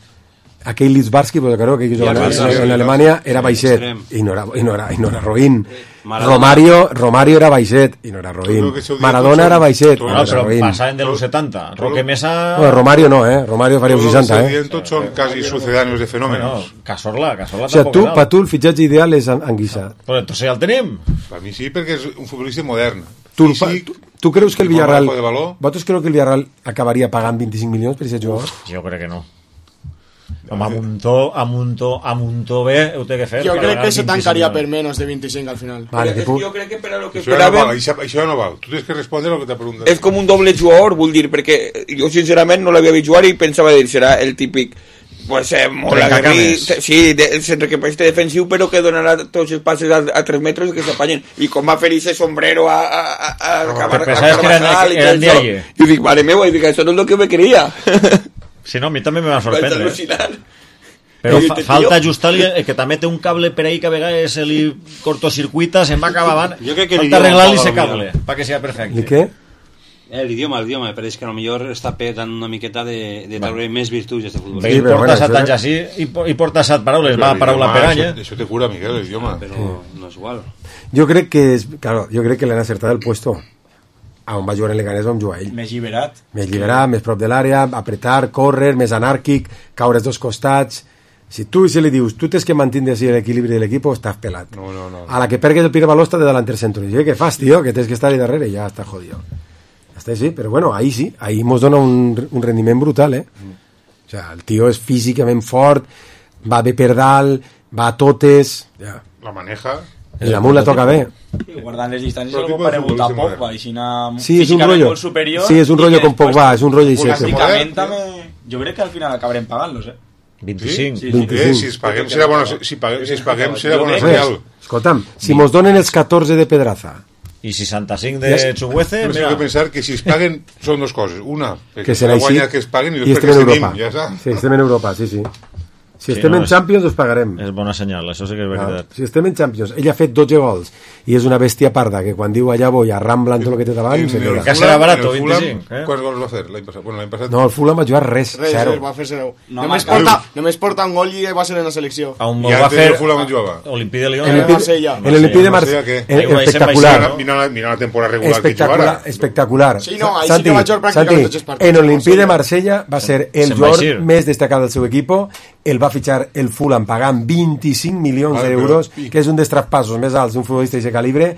Aquell Litzbarski, pues, creo que jugava en, en, en Alemanya, era baixet, i no era, i no era, i no era roïn. Maradona. Romario, Romario era baixet, i no era roïn. Maradona era baixet, i no No, era però roïn. passaven de los setanta. Roque Mesa... No, Romario no, eh? Romario faria un seixanta, eh? Tots són quasi sucedáneos de fenòmenos. Bueno, Casorla, Casorla O sigui, tu, tampoc per tu el fitxatge ideal és Anguissa. Però entonces ja el tenim. Per mi sí, perquè és un futbolista modern. Tu, fa, tu, tu creus que el i bon Villarreal... manejo de valor. Vosaltres creu que el Villarreal acabaria pagant vint-i-cinc milions per aquest jugador? Jo crec que no. Home, amb un to, amb un to, amb un to bé ho té que fer. Jo per crec ganar que se vint-i-cinc tancaria milions. per menys de vint-i-cinc al final. Vale, Però que és puc... que jo crec que per a lo que Això ja no esperàvem val, això, això ja no val. Tu tens que respondre el que t'ha preguntat. és com un doble jugador, vull dir, perquè jo sincerament no l'havia vist jugar i pensava dir, serà el típic pues eh, molt aguerrit, Trencacames. sí, de, sense que peste defensiu, però que donarà tots els passes a, a tres metres i que s'apanyen. I com va fer ese sombrero a, a, a, a, a, que a pensaves que eren- Carvajal i eren tot de això. allí. I dic, mare meva, i dic, això no és el que me quería. Si no, a mi també me va Vaig sorprendre. eh? al·lucinar. Però I fa, este falta tio- ajustar el que també té un cable per ahí que a vegades se li cortocircuita, se'n va acabar avant. Jo crec que falta l'idioma arreglar-li paga ese lo cable, millor. para que sea perfecte. I què? Eh, l'idioma, l'idioma, me pareix que a lo millor està perdent una miqueta de, de treure més virtuts d'aquest futbol. Sí, porta set anys així i, po- i porta set paraules, va paraula per any, eh? Això, això te cura, Miguel, el idioma. Però no és igual. Jo crec que, és, claro, jo crec que l'han acertat el puesto. A on va jugar en Leganés on jugar ell. Més lliberat. Més lliberat, més prop de l'àrea, apretar, córrer, més anàrquic, caure als dos costats. Si tu se li dius, tu tens que mantindre així l'equilibri de l'equip, estàs pelat. No, no, no. A la que pergues el primer baló està de delanter centro. I dius, què fas, tio? Que tens que estar ahí darrere. Ja està jodido. Ja està, sí, però bueno, ahí sí. Ahí mos dona un, un rendiment brutal, eh? O sea, el tio és físicament fort, va bé per dalt, va a totes... Ja. La maneja... El damunt la toca bé. Sí, guardant les distàncies algo paregut a Pogba, i si anar sí, és un rotllo, molt superior... sí, és un rotllo com Pogba, és un rotllo i seco. Plàsticament també... Jo crec que al final acabarem pagant-los, eh? vint-i-cinc. Sí, sí, vint-i-cinc. Eh, si es paguem serà bona, si paguem, si es paguem serà bona senyal. Escolta'm, si mos donen els catorze de Pedraza... I seixanta-cinc de Chuguece... Però tengo que pensar que si es paguen són dos coses. Una, que serà així, guanya que es paguen i i després estem que en tenim, ja està. Sí, estem en Europa, sí, sí. Si Sí, estem no, en és- Champions, els pagarem. És bona senyal, això sí que és veritat. Si estem en Champions, ell ha fet dotze gols i és una bèstia parda que quan diu allà voy arrambla en tot el que té davant se queda. Que serà barat, En el Fulham, vint-i-cinc, eh? Quants gols va fer l'any passat? Bueno, l'any passat... No, el Fulham va jugar res, Res, zero. res, va fer zero. No, només, marca. porta, només porta un gol i va ser en la selecció. On I va antes fer el Fulham on jugava. Olympique de Lyon. En eh? l'Olympique Marsella. en l'Olympique de Marsella, Marsella, què? eh, espectacular. Mira, mira, la- mira la temporada regular que Espectacular, jugara. espectacular. Sí, no, ahí sí Santi, que va jugar pràcticament Santi, tots els partits. en l'Olympique de Marsella va ser el Se'n va jugador eixir. més destacat del seu equip, el va fitxar el Fulham pagant vint-i-cinc milions Vale, d'euros, però- que és un dels traspassos més alts d'un futbolista d'aquest calibre,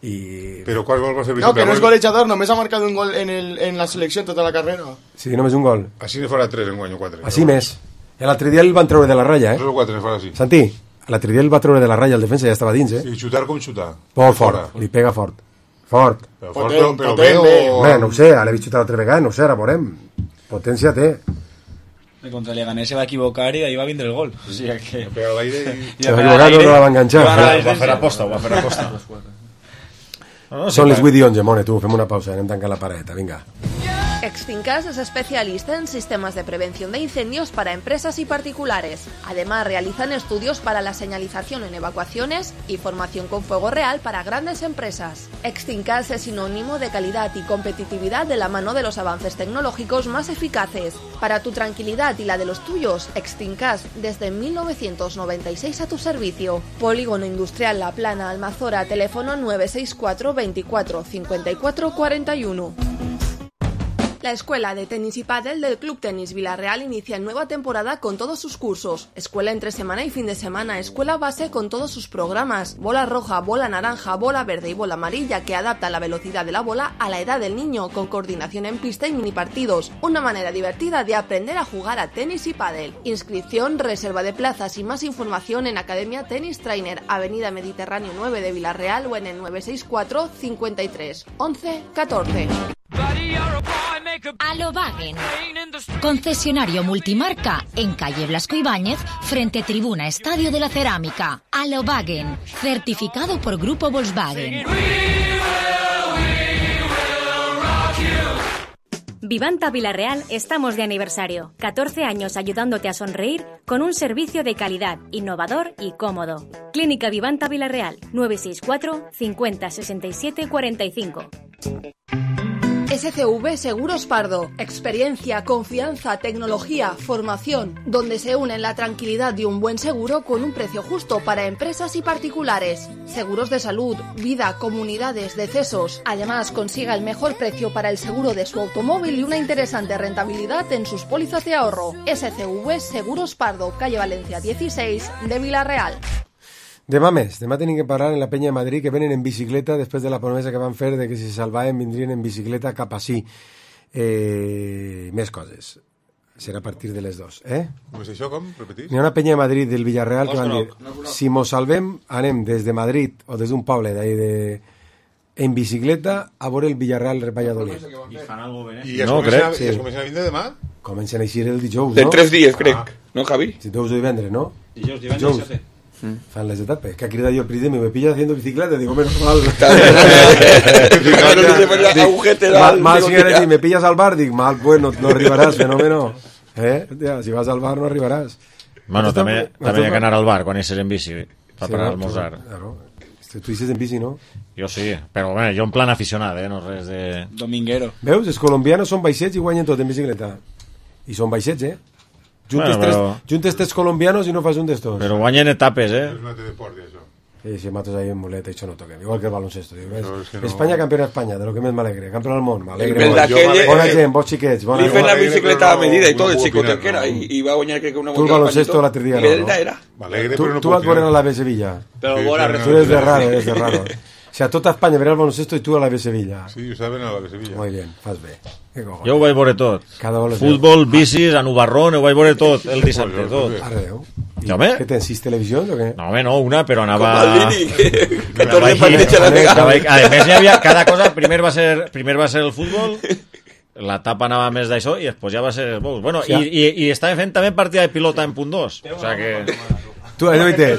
i... Però quants gols va fer No, que no és Vicente golejador, només ha marcat un gol en, el, en la selecció en tota la carrera. Sí, només un gol. Així ne farà tres en guany o quatre. Així més. I l'altre dia el van treure de la ratlla, Tres eh? o quatre ne farà així. Santi, l'altre dia el va treure de la ratlla, el defensa ja estava dins, eh? I xutar com xutar. Molt Fora. fort, li pega fort. Fort. Però fort, Potent, però, però potent, bé bé. o... Home, no ho sé, l'he vist xutar l'altra vegada, no ho sé, ara veurem. Potència té. De contra el Leganés se va equivocar i ahí va vindre el gol. O sigui que... Pega a l'aire i... I Se va equivocar, no, no la va enganxar. I va anar a Ho va fer aposta, ho va fer aposta. No, no, sí, Són les clar. vuit i onze, Mone, tu, fem una pausa, anem tancant la pareta, vinga. Exfincas es especialista en sistemas de prevención de incendios para empresas y particulares. Además, realizan estudios para la señalización en evacuaciones y formación con fuego real para grandes empresas. Exfincas es sinónimo de calidad y competitividad de la mano de los avances tecnológicos más eficaces. Para tu tranquilidad y la de los tuyos, Exfincas desde mil novecientos noventa y seis a tu servicio. Polígono Industrial La Plana, Almazora, teléfono nueve seis cuatro veinticuatro cincuenta y cuatro cuarenta y uno. La Escuela de Tenis y Pádel del Club Tenis Villarreal inicia nueva temporada con todos sus cursos. Escuela entre semana y fin de semana, escuela base con todos sus programas. Bola roja, bola naranja, bola verde y bola amarilla que adapta la velocidad de la bola a la edad del niño con coordinación en pista y mini partidos. Una manera divertida de aprender a jugar a tenis y pádel. Inscripción, reserva de plazas y más información en Academia Tenis Trainer, Avenida Mediterráneo nueve de Villarreal o en el nueve seis cuatro cincuenta y tres once catorce. Alobagen, concesionario multimarca en calle Blasco Ibáñez, frente Tribuna Estadio de la Cerámica. Alobagen, certificado por Grupo Volkswagen. Vivanta Villarreal estamos de aniversario. catorce años ayudándote a sonreír con un servicio de calidad, innovador y cómodo. Clínica Vivanta Villarreal, nueve seis cuatro cincuenta sesenta y siete cuarenta y cinco. S C V Seguros Pardo. Experiencia, confianza, tecnología, formación, donde se unen la tranquilidad de un buen seguro con un precio justo para empresas y particulares. Seguros de salud, vida, comunidades, decesos. Además, consiga el mejor precio para el seguro de su automóvil y una interesante rentabilidad en sus pólizas de ahorro. S C V Seguros Pardo, calle Valencia dieciséis de Villarreal. Demà més, demà tenim que parar en la penya de Madrid que venen en bicicleta després de la promesa que van fer de que si se salvaven vindrien en bicicleta cap ací. Eh, més coses. Serà a partir de les dues, eh? Com és això, com? Repetís? Hi ha una penya de Madrid del Villarreal que van dir No, no. si mos salvem anem des de Madrid o des d'un poble d'ahí de... en bicicleta a veure el Villarreal Valladolid. I es No, comencen, crec, a, sí. i es comencen a vindre demà? Comencen a eixir el dijous, De no? tres dies, crec. No, Javi? Si dijous o divendres, no? Dijous, divendres, dissabte. Fan les etapes. Que ha cridat jo el príncipe, me pillas haciendo bicicleta, digo, menos mal. mal, mal si eres y me pillas al bar, dic, mal, pues no, no arribaràs, fenómeno. Eh? Ja, si vas al bar no arribaràs. Bueno, Esto també, está- també hi ha que anar al bar quan eixes en bici per Sí, parar a no, almorzar. Claro. Tu eixes en bici, no? Jo sí, però bé, jo en plan aficionat, eh? No res de... Dominguero. Veus? Els colombians són baixets i guanyen tot en bicicleta. I són baixets, eh? Juntes, Bueno, però- tres, juntes tres colombianos i no fas un d'estos. Però guanyen etapes, eh? És un altre deport, això. Sí, si matos ahí en muleta, això no toquen. Igual que el baloncesto. Diu, Però és que no- Espanya campiona d'Espanya, de lo que més m'alegre. Campiona del món, m'alegre El molt. d'aquell- Bona gent, vos xiquets. Bona Li fen la gent. bicicleta a medida i tot, el no xicotet opinar, que era, no. i, i va guanyar crec que una Tu el volta al baloncesto Pañito. l'altre dia I no, ell no? era. M'alegre, Tu, però no tu puc vas veure opinar. a la B Sevilla. Però Sí, bona però no- Tu eres de raro, eres de raro. sea, tota Espanya verà el baloncesto i tu a la B Sevilla. Sí, ho saben a la B Sevilla. Muy bien, fas bé. Jo ho vaig veure tot. Cada Futbol, bicis, a Nubarrón, ho vaig veure tot, el dissabte, tot. Arreu. I, home? Què tens, sis televisions o què? No, home, no, una, però anava... Com el Lini, que torna per deixar la vegada. A més, hi havia cada cosa, primer va ser, primer va ser el futbol, l'etapa anava més d'això i després ja va ser... Bueno, i, i, i estàvem fent també partida de pilota en punt dos. O sea que... Tu, no te,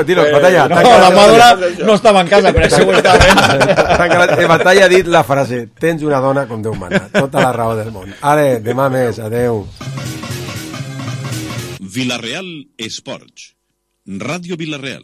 tiro, batalla. No, la Madura no estava en casa, però això ho estava fent. En batalla ha dit la frase, tens una dona com Déu mana, tota la raó del món. Ara, demà més, adeu. Vilareal Esports. Ràdio Vilareal.